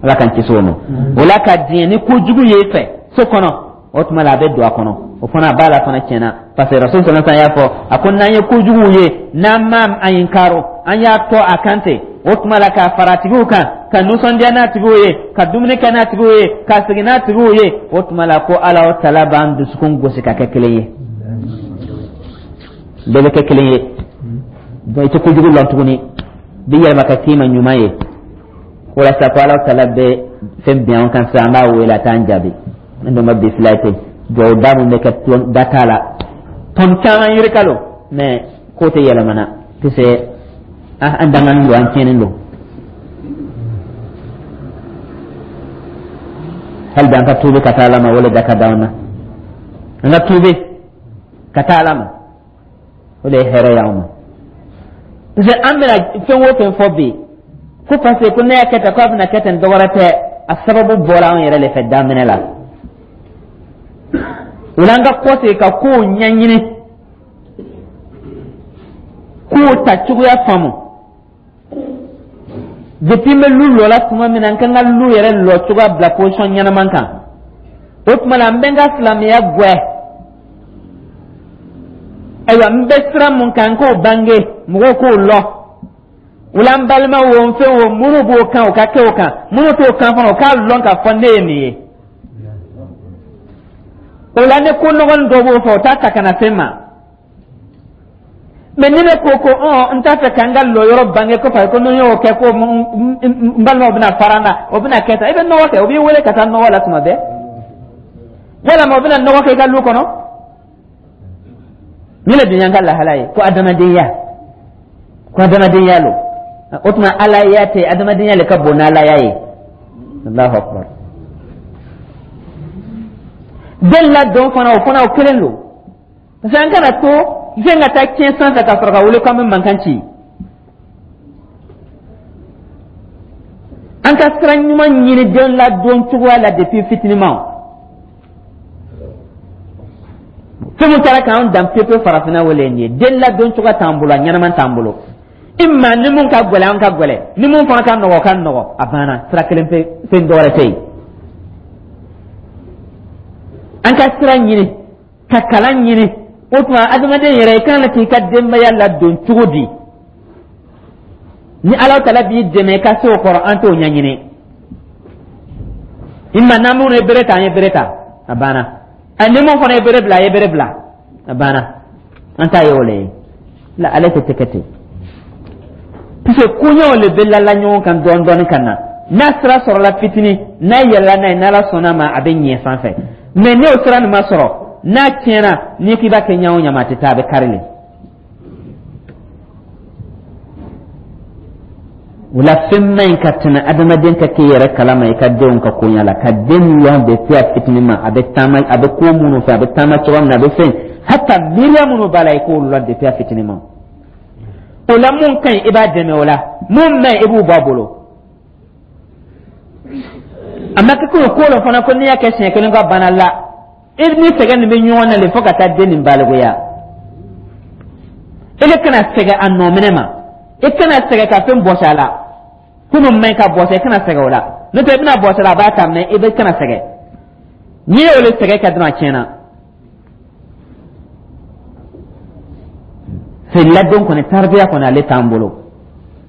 [SPEAKER 1] Ala k'an kisi o ma. O la, ka diɲɛ ni kojugu ye i fɛ so kɔnɔ, o tuma la, a bɛ don a kɔnɔ, o fana a b'a la fana tiɲɛna, parce que Rasul sallallahu alaihi wasallam y'a fɔ, a ko n'an ye kojugu ye, n'an ma a inkaro, an y'a to a kan ten, o tuma la, k'a fara tigiw kan, ka nisɔndiya n'a tigiw ye, ka dumuni kɛ n'a tigiw ye, ka segin n'a tigiw ye, o tuma la, ko Ala o tala b'an dusukun gosi ka kɛ kelen ye, bɛɛ bɛ kɛ kelen ye. Donc i tɛ kojugu lɔn tuguni, bi yɛlɛma ka k'i ma ɲuman ye. Walasa ko Ala tala bɛ fɛn bin an kan sisan, an b'a wele, a t'an jaabi. An dun ka bi fila ten, duwawu da mun bɛ kɛ da t'a la, tɔn caman yirika lo, mɛ ko tɛ yɛlɛmana, parce an danganen don, an tiɲɛnen don. Hali bi an ka tuubi ka taa Ala ma, o le da ka d'an na. An ka tuubi ka taa Ala ma, o de ye hɛrɛ y'anw ma, parce que an bɛna fɛn o fɛn fɔ bi, ko parce que ko ne y'a kɛ tan, ko a bɛna kɛ ten, dɔwɛrɛ tɛ, a sababu bɔra anw yɛrɛ de fɛ daminɛ la. O la, an ka kɔsegin ka kow ɲɛɲini, kow ta cogoya faamu. Depuis n bɛ lu lɔ la tuma min na, n ka n ka lu yɛrɛ lɔ cogoya bila position ɲɛnama kan, o tuma la, n bɛ n ka silamɛya gwɛ. Ayiwa, n bɛ sira mun kan, n k'o bange, mɔgɔw k'o lɔ. O la, n balima wo, n fɛn wo, minnu b'o kan, o ka kɛ o kan, minnu t'o kan fana, o k'a lɔn k'a fɔ ne ye nin ye. O la, ni ko nɔgɔnin dɔ b'o fɛ, o t'a ta ka na se n ma. Mɛ ni ne ko ko ɔn n t'a fɛ ka n ka lɔyɔrɔ bange, ko parce que ko ni n y'o kɛ, ko n balimaw bɛna fara n na, o bɛna kɛ tan, i bɛ nɔgɔ kɛ, o b'i wele ka taa nɔgɔ la tuma bɛɛ, walima o bɛna nɔgɔ kɛ i ka lu kɔnɔ. Ni le dun y'an ka lahala ye, ko adamadenya, ko adamadenya lo, o tuma alaya tɛ, adamadenya le ka bon n'alaya ye. Allahu akbar. Den ladon fana, o fana o kelen don, parce que an kana to fɛn ka taa tiɲɛ sanfɛ ka sɔrɔ ka wele k'an bɛ mankan ci. An ka sira ɲuman ɲini den ladon cogoya la depuis fitiniman. Fɛn min taara k'an dan pepe farafinna, wele nin ye den ladon cogoya t'an bolo, a ɲɛnama t'an bolo. Imma ni mun ka gɛlɛn, an ka gɛlɛn, ni mun fana ka nɔgɔ, ka nɔgɔ, a banna. Sira kelen pe, fɛn dɔwɛrɛ tɛ yen. An ka sira ɲini ka kalan ɲini. O tuma adamaden yɛrɛ, i kan k'i ka denbaya ladon cogo di? Ni Ala tala b'i dɛmɛ i ka se o kɔrɔ, an t'o ɲɛɲini. Imma n'an minnu ye bere ta, an ye bere ta, a banna. A ni mun fana ye bere bila, a ye bere bila, a banna. An t'a ye o le ye la, ale tɛ kɛ ten, puisque koɲɛw le bɛ lala ɲɔgɔn kan dɔɔni dɔɔni ka na. N'a sira sɔrɔla fitinin, n'a yɛlɛla n'a ye, n'Ala sɔnna a ma, a bɛ ɲɛ sanfɛ. Mais n'o sira nin ma sɔrɔ, n'a tiɲɛna, n'i k'i b'a kɛ ɲa o ɲa ma, a tɛ taa, a bɛ kari le. O la fɛn man ɲi ka tɛmɛ adamaden ka k'i yɛrɛ kalama i ka denw ka koɲa la, ka den lɔn depuis a fitinin ma, a bɛ taama, a bɛ ko minnu fɛ, a bɛ taama cogoya min na, a bɛ fɛn hata miiriya minnu b'a la, i k'olu lɔn depuis a fitinin ma. O la mun ka ɲi, i b'a dɛmɛ o la, mun man ɲi, i b'u bɔ a bolo. A ma kɛ ko ko la fana ko n'i y'a kɛ siɲɛ kelen ko a banna la, i ni sɛgɛn nin bɛ ɲɔgɔn na le fo ka taa den nin balikuya. I kana sɛgɛn a nɔminɛ ma, i kana sɛgɛn ka fɛn bɔsi a la, ko min man ɲi ka bɔsi, i kana sɛgɛn o la, n'o tɛ i bɛna bɔsi a la, a b'a ta, mɛ i bɛ kana sɛgɛn. N'i y'o le sɛgɛn kɛ dɔrɔn, a tiɲɛna. Fɛ ladon kɔni, taribiya kɔni, ale t'an bolo,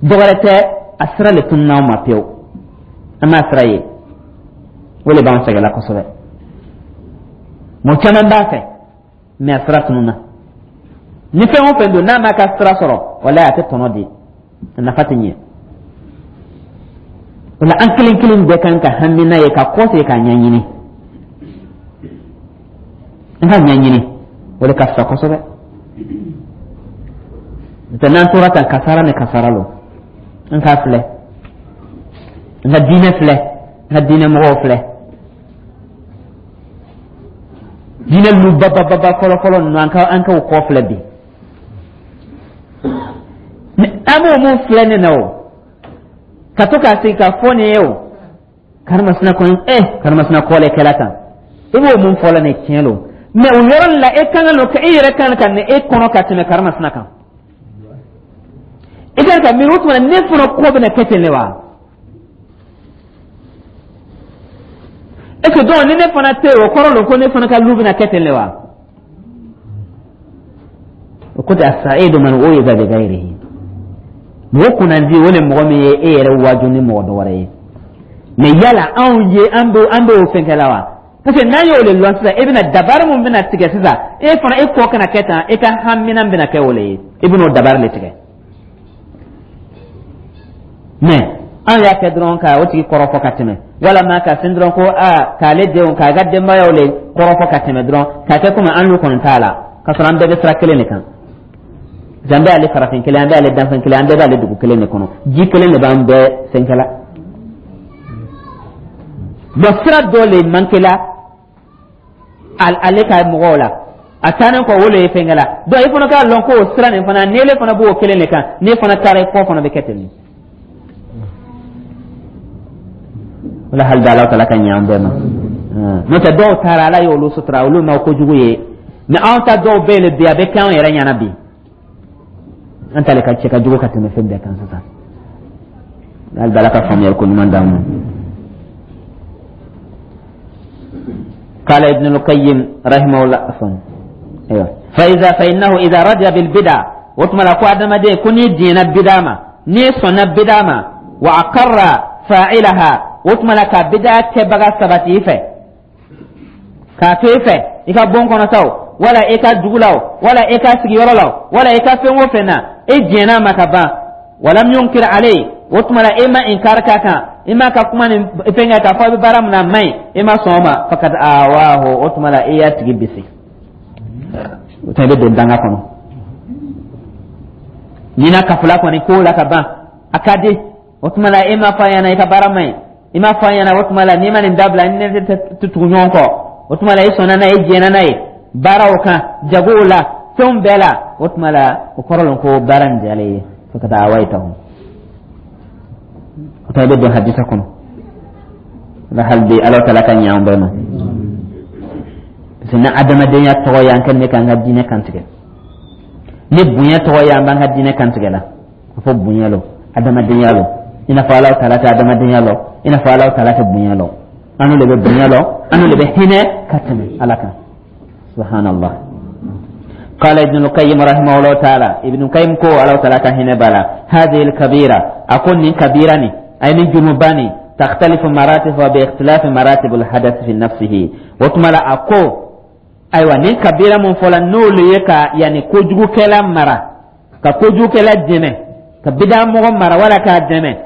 [SPEAKER 1] dɔwɛrɛ tɛ, a sira le tununna anw ma pewu, an m'a sira ye, o le b'an sɛgɛnla kosɛbɛ. Mɔgɔ caman b'a fɛ, mɛ a sira tununna. Ni fɛn o fɛn don n'a m'a ka sira sɔrɔ, walayi a tɛ tɔnɔ di, a nafa tɛ ɲɛ. O la an kelen kelen bɛɛ kan ka hami n'a ye ka kɔsegin k'a ɲɛɲini, an ka ɲɛɲini, o de ka fisa kosɛbɛ. N'o n'an tora tan, kasara ni kasara lo. An k'a filɛ, an ka diinɛ filɛ, an ka diinɛ mɔgɔw filɛ, diinɛ lu babababa fɔlɔfɔlɔ ninnu, an ka an k'o kɔ filɛ bi. An b'o mun filɛ nin na o, ka to k'a sigi k'a fɔ nin ye o, karimasina kɔni, eh karimasina kɔ le kɛla tan, i b'o mun fɔ la nin tiɲɛ lo, mɛ o yɔrɔ la e kan ka e yɛrɛ kan ka nin e kɔnɔ ka tɛmɛ karimasina kan. I kan ka miiri o tuma ne fana kɔ bɛna kɛ ten de wa? Est ce que donc ni ne fana tɛ yen, o kɔrɔ lo ko ne fana ka lu bɛna kɛ ten de wa? O ko tɛ asaidu man u'iza bi ghayrihi, mɔgɔ kunnandi o le mɔgɔ min ye e yɛrɛ waaju ni mɔgɔ dɔ wɛrɛ ye. Mɛ yala anw ye an bɛ an bɛ o fɛn kɛ la wa? Parce que n'an y'o le lɔn sisan, e bɛna dabari mun bɛna tigɛ sisan, e fana e kɔ kana kɛ tan, e ka hamina bɛna kɛ o le ye, i bɛna o dabari le tigɛ. Mɛ an y'a kɛ dɔrɔn ka o tigi kɔrɔfɔ ka tɛmɛ, walama ka fɛn dɔrɔn ko aa k'ale denw k'a ka denbayaw le kɔrɔfɔ ka tɛmɛ dɔrɔn, k'a kɛ komi an n'u kɔni t'a la, k'a sɔrɔ an bɛɛ bɛ sira kelen de kan. An bɛɛ y'ale farafin kelen, an bɛɛ y'ale danfɛn kelen, an bɛɛ b'ale dugu kelen de kɔnɔ, ji kelen de b'an bɛɛ fɛnkɛla. Bon, sira dɔ le mankela ale ka mɔgɔw la, a taalen kɔ o le ye fɛnkɛla. Donc i fana k'a lɔn ko o sira nin fana, n'ele fana b'o kelen de kan, n'e fana taara, i kɔ fana bɛ kɛ ten de. Wala hali Ala tala ka ɲɛ an bɛɛ ma. N'o tɛ dɔw taara, Ala y'olu sutura, olu ma kojugu ye, mɛ anw ta dɔw bɛ yen bi, a bɛ kɛ anw yɛrɛ ɲɛna bi, an ta le ka cɛ ka jugu ka tɛmɛ fɛn bɛɛ kan sisan. Hali Ala ka faamuyali ko ɲuman d'an ma. قال ابن القيم رحمه الله عفوا ايوه فاذا فانه اذا رضي بالبدع وتم لا قادم دي كوني دين بدع ما ني سنة بدع ما واقر فاعلها وتم لا كبدع كبغا سبتي في كافي i ka bon kɔnɔ sa o, wala i ka dugu la o, wala i ka sigiyɔrɔ la o, wala i ka fɛn o fɛn na, e jɛn'a ma ka ban, walam yunkir alayhi, o tuma la e ma inkar k'a kan, i m'a ka kuma ni fɛn kɛ k'a fɔ a bɛ baara min na a man ɲi, e ma sɔn o ma, fakad awahu, o tuma la e y'a tigi bisi, o tuma i bɛ don danga kɔnɔ. N'i n'a kafula kɔni ko la ka ban, a ka di, o tuma la e ma fɔ a ɲɛna i ka baara man ɲi, i ma fɔ a ɲɛna, o tuma la n'i ma nin dabila, ni ne tɛ tugu ɲɔgɔn kɔ, O tuma la, i sɔnna n'a ye, i jɛnna n'a ye, baaraw kan, jagow la, fɛnw bɛɛ la. O tuma la, o kɔrɔ lɔn ko baara nin diyalen ye fo ka taa awayitahu. O tuma, i bɛ don hadisa kɔnɔ la. Hali bi, Ala taala ka ɲɛ an bɛɛ ma, parce que ni adamadenya tɔgɔ ye, an kɛlen bɛ k'an ka diinɛ kantigɛ. Ni bonya tɔgɔ ye, an b'an ka diinɛ kantigɛ la. A fɔ bonya lɔ, adamadenya lɔ, i n'a fɔ Ala taala tɛ adamadenya lɔ, i n'a fɔ Ala taala tɛ bonya lɔ. An de bɛ bonya lɔ, an de bɛ hinɛ ka tɛmɛ Ala kan, subhanallah. قال ابن القيم رحمه الله تعالى، ابن القيم كو الله تعالى كهنا بلا، هذه الكبيرة، أكون من كبيرة، أي من جنوباني، تختلف مراتبها باختلاف مراتب الحدث في نفسه. وتملا أكو ayiwa, nin kabira mun fɔla, n'olu ye ka yanni kojugukɛla mara, ka kojugukɛla dɛmɛ, ka bida mɔgɔ mara wala k'a dɛmɛ,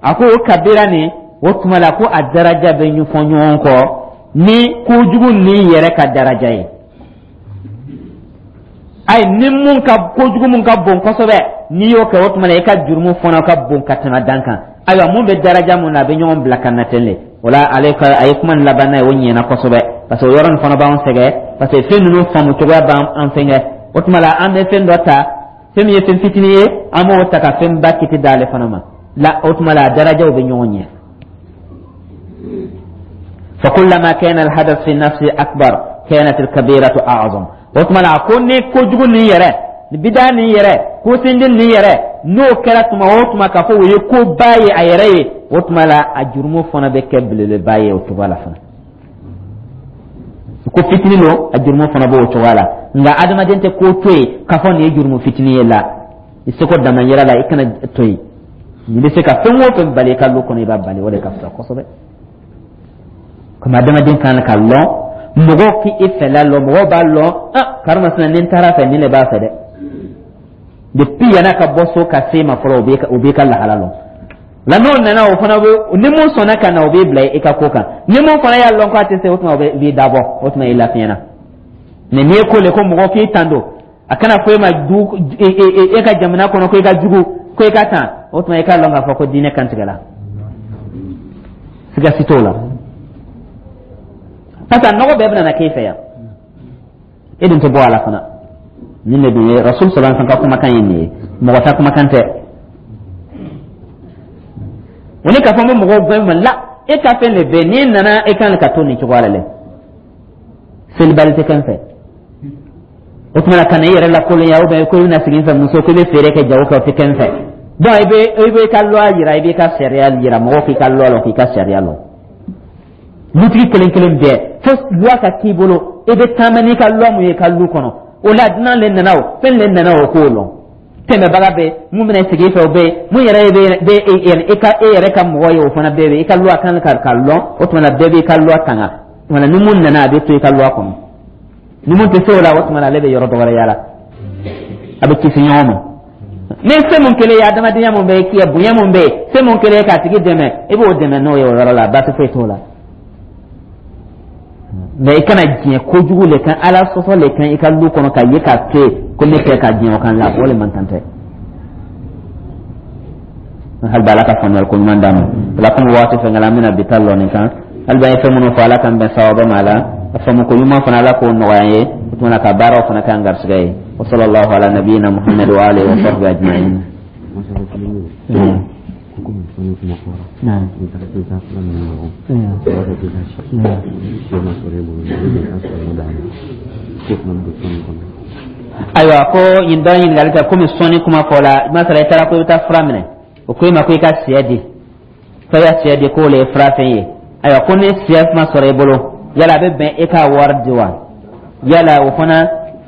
[SPEAKER 1] a ko o kabira nin, o tuma la ko a daraja bɛ ɲɛfɔ ɲɔgɔn kɔ ni kojugu nin yɛrɛ ka daraja ye. Ayi, ni mun ka kojugu mun ka bon kosɛbɛ, n'i y'o kɛ, o tuma la i ka jurumu fana ka bon ka tɛmɛ dan kan. Ayiwa, mun bɛ daraja mun na, a bɛ ɲɔgɔn bila ka na ten de. O la, ale ka a ye kuma nin laban n'a ye, o ɲɛna kosɛbɛ, parce que o yɔrɔ nin fana b'an sɛgɛn, parce que fɛn ninnu faamu cogoya b'an fɛngɛ. O tuma la, an bɛ fɛn dɔ ta, fɛn min ye fɛn fitinin ye, an b'o ta ka fɛn ba kiti d'ale fana ma la. O tuma la, a darajaw bɛ ɲɔgɔn ɲɛ. فكلما كان الحدث في النفس أكبر كانت الكبيرة أعظم. O tuma la, ko ni kojugu nin yɛrɛ, ni bida nin yɛrɛ, ko sindin nin yɛrɛ, n'o kɛra tuma o tuma k'a fɔ o ye koba ye a yɛrɛ ye, o tuma la a jurumu fana bɛ kɛ belebeleba ye o cogoya la fana. Ko fitinin don, a jurumu fana b'o cogoya la. Nka adamaden tɛ ko to yen k'a fɔ nin ye jurumu fitinin ye la. I seko damayira la, i kana to yen. N'i bɛ se ka fɛn o fɛn bali i ka lu kɔnɔ, i b'a bali, o de ka fisa kosɛbɛ. Komi adamaden kan ka lɔn, mɔgɔw k'i fɛla lɔn, mɔgɔw b'a lɔn: ah, karimasina, ni n taara fɛ, nin de b'a fɛ dɛ. Depuis yan'a ka bɔ so ka se ma fɔlɔ, o b'i ka lahala lɔn la. N'o nana, o fana bɛ, ni mun sɔnna ka na, o b'i bila i ka ko kan. Ni mun fana y'a lɔn k'a tɛ se, o tuma o b'i dabɔ, o tuma i lafiyɛna. Mɛ n'i ye ko le ko mɔgɔ k'i tando, a kana fɔ e ma du e ka jamana kɔnɔ ko i ka jugu, ko i ka tan, o tuma i k'a lɔn k'a fɔ ko diinɛ kantigɛla, siga si t'o la, parce que a nɔgɔ bɛɛ bɛna na k'e fɛ yan, e dun tɛ bɔ a la fana. Nin de dun ye Rasul sallallahu alaihi wasallam ka kumakan ye nin ye, mɔgɔ ta kumakan tɛ. O ni k'a fɔ n bɛ mɔgɔw gɛn ma la, e ka fɛn de bɛ n'i nana, e kan ka to nin cogoya la dɛ. Selibali tɛ kɛ n fɛ. O tuma na, ka na i yɛrɛ lakolonya, ou bien ko i bɛna sigi n fɛ, muso, ko i bɛ feere kɛ, jago kɛ, o tɛ kɛ n fɛ. Donc i bɛ i bɛ i ka loi yira, i b'i ka sariya yira, mɔgɔw k'i ka loi lɔn, k'i ka sariya lɔn. Lutigi kelen kelen bɛɛ, fo loi ka k'i bolo, i bɛ taama n'i ka loi mun ye i ka lu kɔnɔ. O la, dunan le nana, o fɛn le nana, o k'o lɔn. Tɛmɛbaga bɛ mun bɛna sigi i fɛ, o bɛ yen. Mun yɛrɛ bɛ bɛ e ka e yɛrɛ ka mɔgɔ ye, o fana bɛɛ bɛ i ka loi kan ka ka lɔn. O tuma na, bɛɛ b'i ka loi tanga. O tuma na, ni mun nana, a bɛ to i ka loi kɔnɔ. Ni mun tɛ se o la, o tuma na ale bɛ yɔrɔ dɔ wɛrɛ yala, a bɛ kisi ɲɔgɔn ma. Ni se mun kelen ye, adamadenya mun bɛ yen, bonya mun bɛ yen, se mun kelen ye k'a tigi dɛmɛ, i b'o dɛmɛ n'o ye o yɔrɔ la, baasi foyi t'o la. Mɛ i kana diɲɛ kojugu le kan, Ala sɔsɔ le kan i ka lu kɔnɔ ka ye k'a to yen ko ne kɛ ka diɲɛ o kan la, o le man kan tɛ. Hali bi, Ala ka faamuyali ko ɲuman d'an ma. O la, komi waati fɛn kɛla, an bɛna bi ta lɔ nin kan. Hali bi, an ye fɛn minnu fɔ, Ala k'an bɛn sababa ma a la. A faamu ko ɲuman fana, Ala k'o nɔgɔya an ye. O tuma na, ka baaraw fana k'an garisɛgɛ ye. Wa sallallahu ala nabiyina Muhammad wa alihi wa sahbihi ajma'in.
[SPEAKER 2] Komi sɔnni kuma fɔra, n'i taara k'i taa fura ninnu ɲɔgɔn, o b'a fɔ k'i ka si si ma sɔrɔ e bolo, i bɛ ka sɔrɔ d'a ma, k'o fana bɛ don sɔnni kɔnɔ.
[SPEAKER 1] Ayiwa, ko nin dɔ ɲininkali kɛ, komi sɔnni kuma fɔ la, masala, i taara ko i bɛ taa fura minɛ, o ko i ma ko i ka sɛ di, ko i ka sɛ di, k'o le ye furafɛn ye. Ayiwa, ko ni sɛ ma sɔrɔ i bolo, yala a bɛ bɛn e ka wari di wa? Yala o fana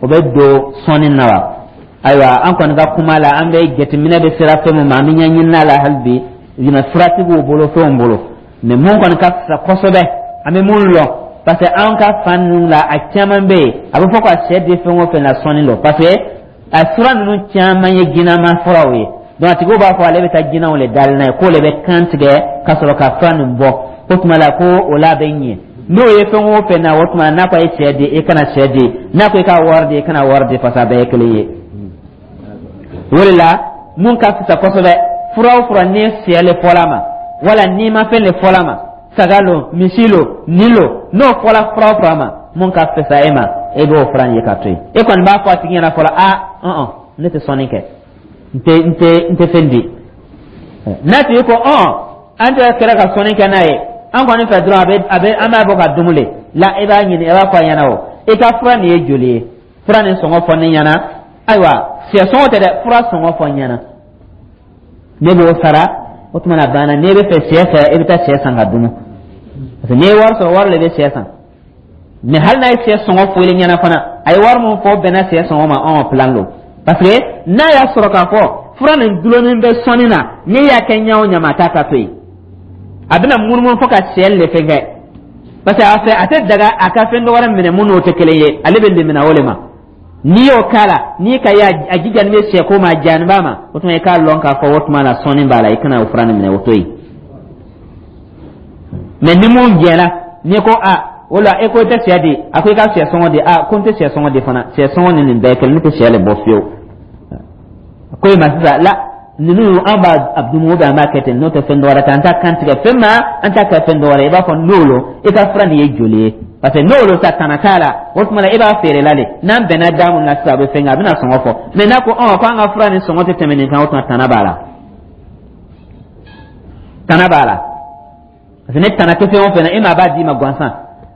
[SPEAKER 1] o bɛ don sɔnni na wa? Ayiwa, an kɔni ka kuma la, an bɛ jateminɛ bɛ sera fɛn min ma, an bɛ ɲɛɲini la hali bi ɲinɛ furatigiw bolo, fɛnw bolo. Mɛ mun kɔni ka fisa kosɛbɛ, an bɛ mun lɔn, parce que an ka fan ninnu la, a caman bɛ yen, a bɛ fɔ ka sɛ di fɛn o fɛn na, sɔnni don, parce que a fura ninnu caman ye jinama furaw ye. Donc a tigiw b'a fɔ ale bɛ taa jinɛw le dali n'a ye, k'o le bɛ kan tigɛ ka sɔrɔ ka fura nin bɔ, o tuma la ko o la bɛ ɲɛ. N'o ye fɛn o fɛn na, o tuma n'a ko a ye sɛ di, i kana sɛ di. N'a ko i ka wari di, i kana wari di, parce que a bɛɛ ye kelen ye. O de la, mun ka fisa kosɛbɛ, fura o fura, ni sɛ le fɔla ma, wala n'i ma fɛn le fɔla ma, saga lo, misi lo, nin lo, n'o fɔla fura o fura ma. Mun ka fisa e ma, e b'o fura ye ka to yen. E kɔni b'a fɔ a tigi ɲɛna fɔlɔ: a ɔn, ne tɛ sɔnni kɛ, n tɛ n tɛ n tɛ fɛn di. N'a tigi ko: ɔn, an tɛ kɛra ka sɔnni kɛ n'a ye, an kɔni fɛ dɔrɔn, a bɛ a bɛ an b'a bɔ ka dumuni la, e b'a ɲini, e b'a fɔ a ɲɛna: o i ka fura nin ye joli ye? Fura nin sɔngɔ fɔ ne ɲɛna. Ayiwa, sɛ sɔngɔ tɛ dɛ, fura sɔngɔ fɔ n ɲɛna, ne b'o sara. O tuma na banna. N'e bɛ fɛ sɛ fɛ, e bɛ taa sɛ san ka dun, parce que n'i ye wari sɔrɔ, wari de bɛ sɛ san. Mais hali n'a ye sɛ sɔngɔ fɔ i ɲɛna fana, a ye wari min fɔ, bɛnna sɛ sɔngɔ ma, ɔn, plan don. Parce que n'a y'a sɔrɔ k'a fɔ fura nin dulonnen bɛ sɔnni na, n'i y'a kɛ ɲɛ o ɲɛ ma, a t'a ta to yen, a bɛna munumunu fo ka sɛ le fɛn kɛ, parce que a fɛ a tɛ daga a ka fɛn dɔ wɛrɛ minɛ mun n'o tɛ kelen ye. Ale bɛ lemina o de ma. N'i y'o k'a la, n'i ka ye a jija ni bɛ sɛ ko ma, a jani b'a ma, o tuma i k'a lɔn k'a fɔ o tuma na sɔnni b'a la, i kana o fura nin minɛ, o to yen. Mais ni mun jɛna, n'i ko a o la, e ko i tɛ sɛ di, a ko i ka sɛ sɔngɔ di, a ko n tɛ sɛ sɔngɔ di fana, sɛ sɔngɔ ni nin bɛɛ kelen, ne tɛ sɛ le bɔ fiyewu. Ko i ma sisan la, ninnu an b'a dumu, an b'a kɛ ten, n'o tɛ fɛn dɔwɛrɛ tɛ, an t'a kan tigɛ fɛn ma, an t'a kɛ fɛn dɔwɛrɛ. I b'a fɔ n'o lo, i ka fura nin ye joli ye? Parce que n'o lo sa, tana t'a la. O tuma na e b'a feere la de, n'an bɛnna da mun na sisan, a bɛ fɛn kɛ, a bɛna sɔngɔ fɔ. Mais n'a ko ɔn ko an ka fura nin sɔngɔ tɛ tɛmɛ nin kan, o tuma tana b'a la, tana b'a la. Parce que ne tana tɛ fɛn o fɛn na, e ma b'a d'i ma gansan,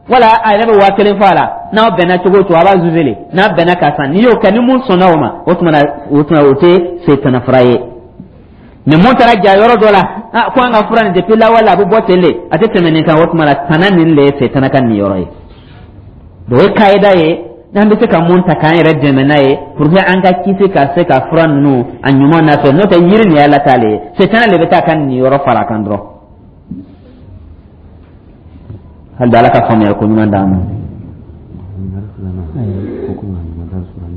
[SPEAKER 1] wala a yɛrɛ bɛ waa kelen fɔ a la. N'aw bɛnna cogo o cogo, a b'a zuze le, n'a bɛnna ka san, n'i y'o kɛ, ni mun sɔnna o ma, o tuma na o tuma o tɛ setana fura ye. Mɛ mun taara ja yɔrɔ dɔ la, ah, ko an ka fura nin, depuis lawale a bɛ bɔ ten de, a tɛ tɛmɛ nin kan, o tuma na tana nin le ye setana ka nin yɔrɔ ye. Donc o ye kayida ye n'an bɛ se ka mun ta k'an yɛrɛ dɛmɛ n'a ye pour que an ka kisi ka se ka fura ninnu a ɲuman na fɛ. N'o tɛ, yiri nin ye Ala ta le ye, setana le bɛ taa ka nin yɔrɔ fara a kan dɔrɔn. Hali bi, Ala ka faamuyali ko ɲuman d'an ma.
[SPEAKER 2] Ɲininkali filanan ko, komi a nana darisu la,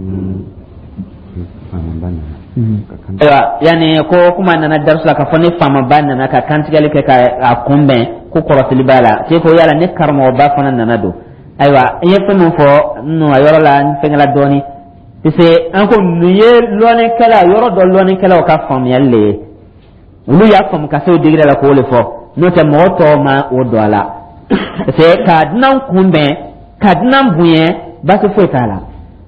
[SPEAKER 2] ni faamaba nana ka kan
[SPEAKER 1] Ayiwa, yanni ko kuma nana darisu la k'a fɔ ni faamaba nana ka kantigɛli kɛ ka a kunbɛn, ko kɔrɔsili b'a la te, ko yala ni karamɔgɔba fana nana don? Ayiwa, n ye fɛn min fɔ nu a yɔrɔ la, n fɛngɛla dɔɔni, parce que an ko nin ye lɔnnikɛla yɔrɔ dɔ, lɔnnikɛlaw ka faamuyali le ye. Olu y'a faamu ka se o degré la k'o le fɔ, n'o tɛ mɔgɔ tɔw ma o don a la. Parce que ka dunan kunbɛn, ka dunan bonya, baasi foyi t'a la.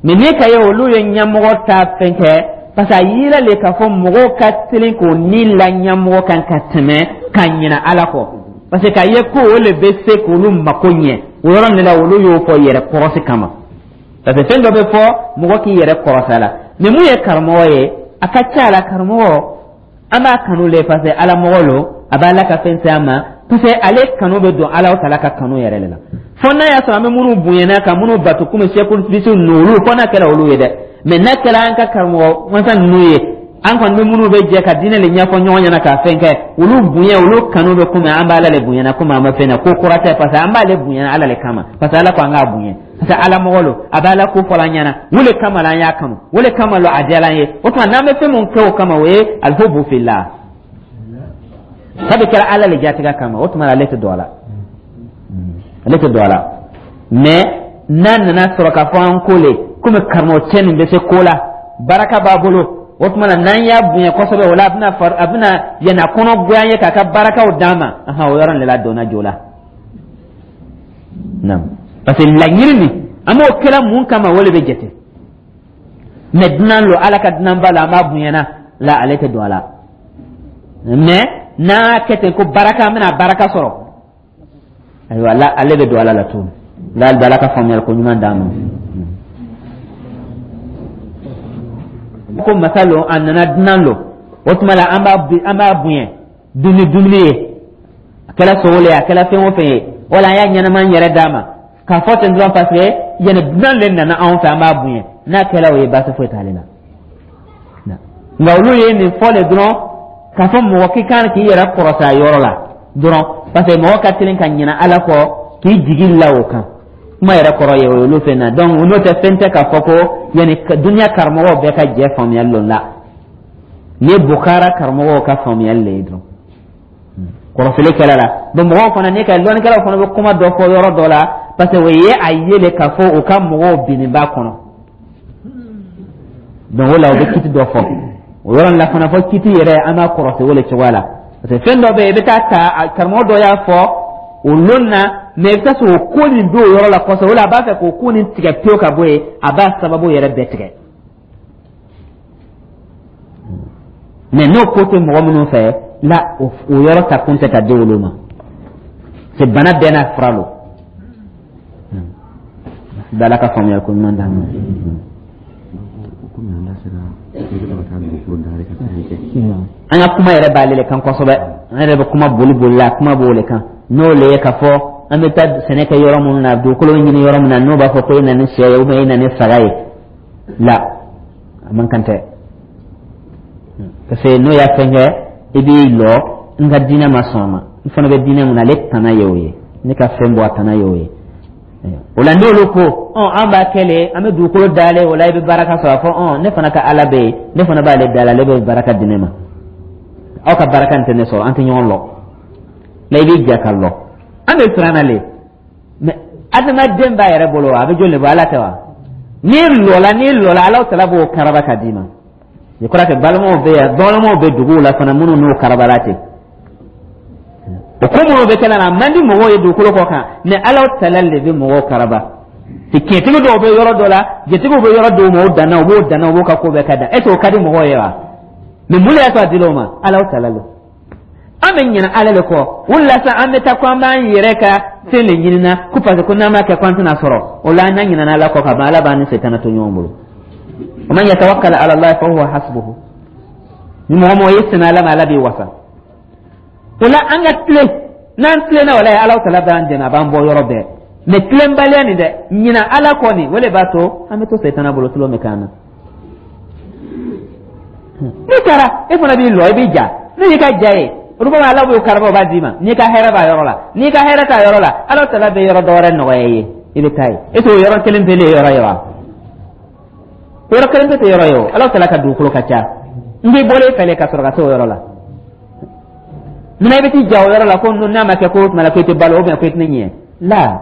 [SPEAKER 1] Mais n'i ka ye olu ye ɲɛmɔgɔ ta fɛn kɛ, parce que a yira le k'a fɔ mɔgɔw ka teli k'o ni la ɲɛmɔgɔ kan ka tɛmɛ ka ɲinɛ Ala kɔ, parce que k'a ye ko o le bɛ se k'olu mako ɲɛ. O yɔrɔ de la, olu y'o fɔ yɛrɛ kɔrɔsi kama, parce que fɛn dɔ bɛ fɔ mɔgɔ k'i yɛrɛ kɔrɔsi a la. Mais mun ye karamɔgɔ ye, a ka ca la, karamɔgɔ an b'a kanu le, parce que Ala mɔgɔ lo, a b'a la ka fɛn se an ma, parce que ale kanu bɛ don Ala tala ka kanu yɛrɛ de la. Fo n'a y'a sɔrɔ an bɛ minnu bonyana ka minnu bato, komi sɛkulu bilisi ninnu, olu fo n'a kɛra olu ye dɛ. Mais n'a kɛra an ka karamɔgɔ masa ninnu ye, an kɔni bɛ minnu bɛ jɛ ka diinɛ le ɲɛfɔ ɲɔgɔn ɲɛna ka fɛn kɛ, olu bonya, olu kanu bɛ komi an b'Ala le bonyana, komi an bɛ fɛn na ko kura tɛ, parce que an b'ale bonyana Ala le kama, parce que Ala ko an k'a bonya, parce que Ala mɔgɔ lo, a bɛ Ala ko fɔla an ɲɛna, o le kama la an y'a kanu, o le kama lo a diyara an ye. O tuma n'an bɛ fɛn mun kɛ o kama, o ye alhubu fillah, sabu kɛra Ala le jatigɛ kama. O tuma ale tɛ don a la, ale tɛ don a la. Mais n'a nana sɔrɔ k'a fɔ an ko le komi karamɔgɔ cɛ nin bɛ se ko la, baraka b'a bolo, o tuma na n'an y'a bonya kosɛbɛ, o la a bɛna far a bɛna yɛnɛ kɔnɔ goya an ye k'a ka barakaw d'an ma, ahan, o yɔrɔ de la donna jo la. Naam, parce que laɲini nin, an b'o kɛla mun kama, o de bɛ jate. Mais dunan lo, Ala ka dunanba la, an b'a bonyana la, ale tɛ don a la. Mais n'a kɛ ten ko baraka, an bɛna baraka sɔrɔ, ayiwa la, ale bɛ don Ala la tuguni la. Ala ka faamuyali ko ɲuman d'an ma. Ko masa lo, a nana dunan lo, o tuma la an b'a an b'a bonya dumuni dumuni ye, a kɛra sogo le ye, a kɛra fɛn o fɛn ye, wala an y'a ɲɛnama yɛrɛ d'a ma k'a fɔ ten dɔrɔn, parce que yanni dunan le nana anw fɛ, an b'a bonya. N'a kɛra o ye, baasi foyi t'ale la. Nka olu ye nin fɔ le dɔrɔn k'a fɔ mɔgɔ k'i kan k'i yɛrɛ kɔrɔta a yɔrɔ la dɔrɔn, parce que mɔgɔ ka teli ka ɲinɛ Ala kɔ k'i jigi la o kan. Kuma yɛrɛ kɔrɔ ye o ye olu fɛn na. Donc n'o tɛ, fɛn tɛ k'a fɔ ko yanni duniya karamɔgɔw bɛɛ ka jɛ faamuyali lon la. Nin ye Bukara karamɔgɔw ka faamuyali le ye dɔrɔn, kɔrɔfili kɛla la. Bon, mɔgɔw fana ne ka lɔnnikɛlaw fana bɛ kuma dɔ fɔ yɔrɔ dɔ la, parce que o ye a ye le k'a fɔ u ka mɔgɔw binnen b'a kɔnɔ. Donc o la, u bɛ kiti dɔ fɔ o yɔrɔ la fana, fɔ kiti yɛrɛ, an b'a kɔrɔsi o le cogoya la, parce que fɛn dɔ bɛ yen, i bɛ taa ta karamɔgɔ dɔ y'a fɔ o lon na. Mais i bɛ taa sɔrɔ o ko nin b'o yɔrɔ la kosɛbɛ. O la, a b'a fɛ k'o ko nin tigɛ pewu ka bɔ yen, a b'a sababu yɛrɛ bɛɛ tigɛ. Mais n'o ko tɛ mɔgɔ minnu fɛ la, o yɔrɔ ta kun tɛ ka di olu ma. C'est bana bɛɛ n'a fura lo. Ala ka faamuya ko ɲuman d'an ma.
[SPEAKER 2] Komi an da sera i bɛ ka taa dugukolo dayɛlɛ ka sɛnɛ kɛ.
[SPEAKER 1] An ka kuma yɛrɛ b'ale le kan kosɛbɛ. An yɛrɛ bɛ kuma boli boli la, kuma b'o le kan. N'o le ye k'a fɔ an bɛ taa sɛnɛ kɛ yɔrɔ minnu na, dugukolo ɲini yɔrɔ min na, n'o b'a fɔ ko e na ni sɛ ye ou bien e na ni saga ye la, a man kan tɛ, parce que n'o y'a fɛn kɛ, i b'i lɔ. N ka diinɛ ma sɔn a ma. N fana bɛ diinɛ mun na, ale tana ye o ye. Ne ka fɛn bɔ a tana ye o ye. O la, n'olu ko ɔn an b'a kɛ le, an bɛ dugukolo dayɛlɛ, o la i bɛ baraka sɔrɔ, a fɔ ɔn ne fana ka Ala bɛ yen, ne fana b'ale dayɛlɛ, ale bɛ baraka di ne ma. Aw ka baraka nin tɛ ne sɔrɔ, an tɛ ɲɔgɔn lɔ la. I b'i ja ka lɔ, an bɛ siran na le. Mais adamaden b'a yɛrɛ bolo wa, a bɛ jɔn de bɔ? Ala tɛ wa? N'i lɔla n'i lɔla Ala tala b'o karaba ka d'i ma. Je crois que balimaw bɛ yan, balimaw bɛ duguw la fana minnu n'o karabala ten. O ko minnu bɛ kɛ la, a man di mɔgɔw ye dugukolo kɔ kan, mais Ala tala de bɛ mɔgɔw karaba. Tiɲɛtigi dɔw bɛ yɔrɔ dɔ la, jatigiw bɛ yɔrɔ dɔw ma, o danna, u b'o danna, u b'o ka ko bɛɛ ka dan. Est ce que o ka di mɔgɔw ye wa? Mais mun de y'a to a dil'o ma? Ala tala lo. An bɛ ɲinɛ Ala le kɔ. O de la sa, an bɛ taa ko an b'an yɛrɛ ka fɛn de ɲinina ko parce que ko n'an m'a kɛ ko an tɛna sɔrɔ. O la, an n'an ɲinɛna Ala kɔ ka ban, Ala b'an ni setana to ɲɔgɔn bolo. Wa man yatawakkal ala Allah fa huwa hasbuhu. Ni mɔgɔ mɔgɔ ye sɛmɛ Ala ma, Ala b'i wasa. O la, an ka tilen. N'an tilenna, walayi, Ala tala b'an dɛmɛ, a b'an bɔ yɔrɔ bɛɛ. Mais tilenbaliya nin dɛ, ɲinɛ Ala kɔ nin, o de b'a to an bɛ to setana bolo tulon bɛ k'an na. N'i taara, e fana b'i lɔ, i b'i ja. N'o y'i ka ja ye, olu b'a Ala b'o karaba, o b'a d'i ma. N'i ka hɛrɛ b'a yɔrɔ la, n'i ka hɛrɛ t'a yɔrɔ la, Ala tala bɛ yɔrɔ dɔ wɛrɛ nɔgɔya i ye, i bɛ taa yen. E t'o yɔrɔ kelen pe le ye yɔrɔ ye wa? Yɔrɔ kelen pe tɛ yɔrɔ ye o. Ala tala ka dugukolo ka ca. N b'i bɔlen fɛ ka sɔrɔ ka se o yɔrɔ la. Munna i bɛ t'i ja o yɔrɔ la ko n'a ma kɛ ko o tuma la ko i tɛ balo ou bien ko i tɛ ne ɲɛ la?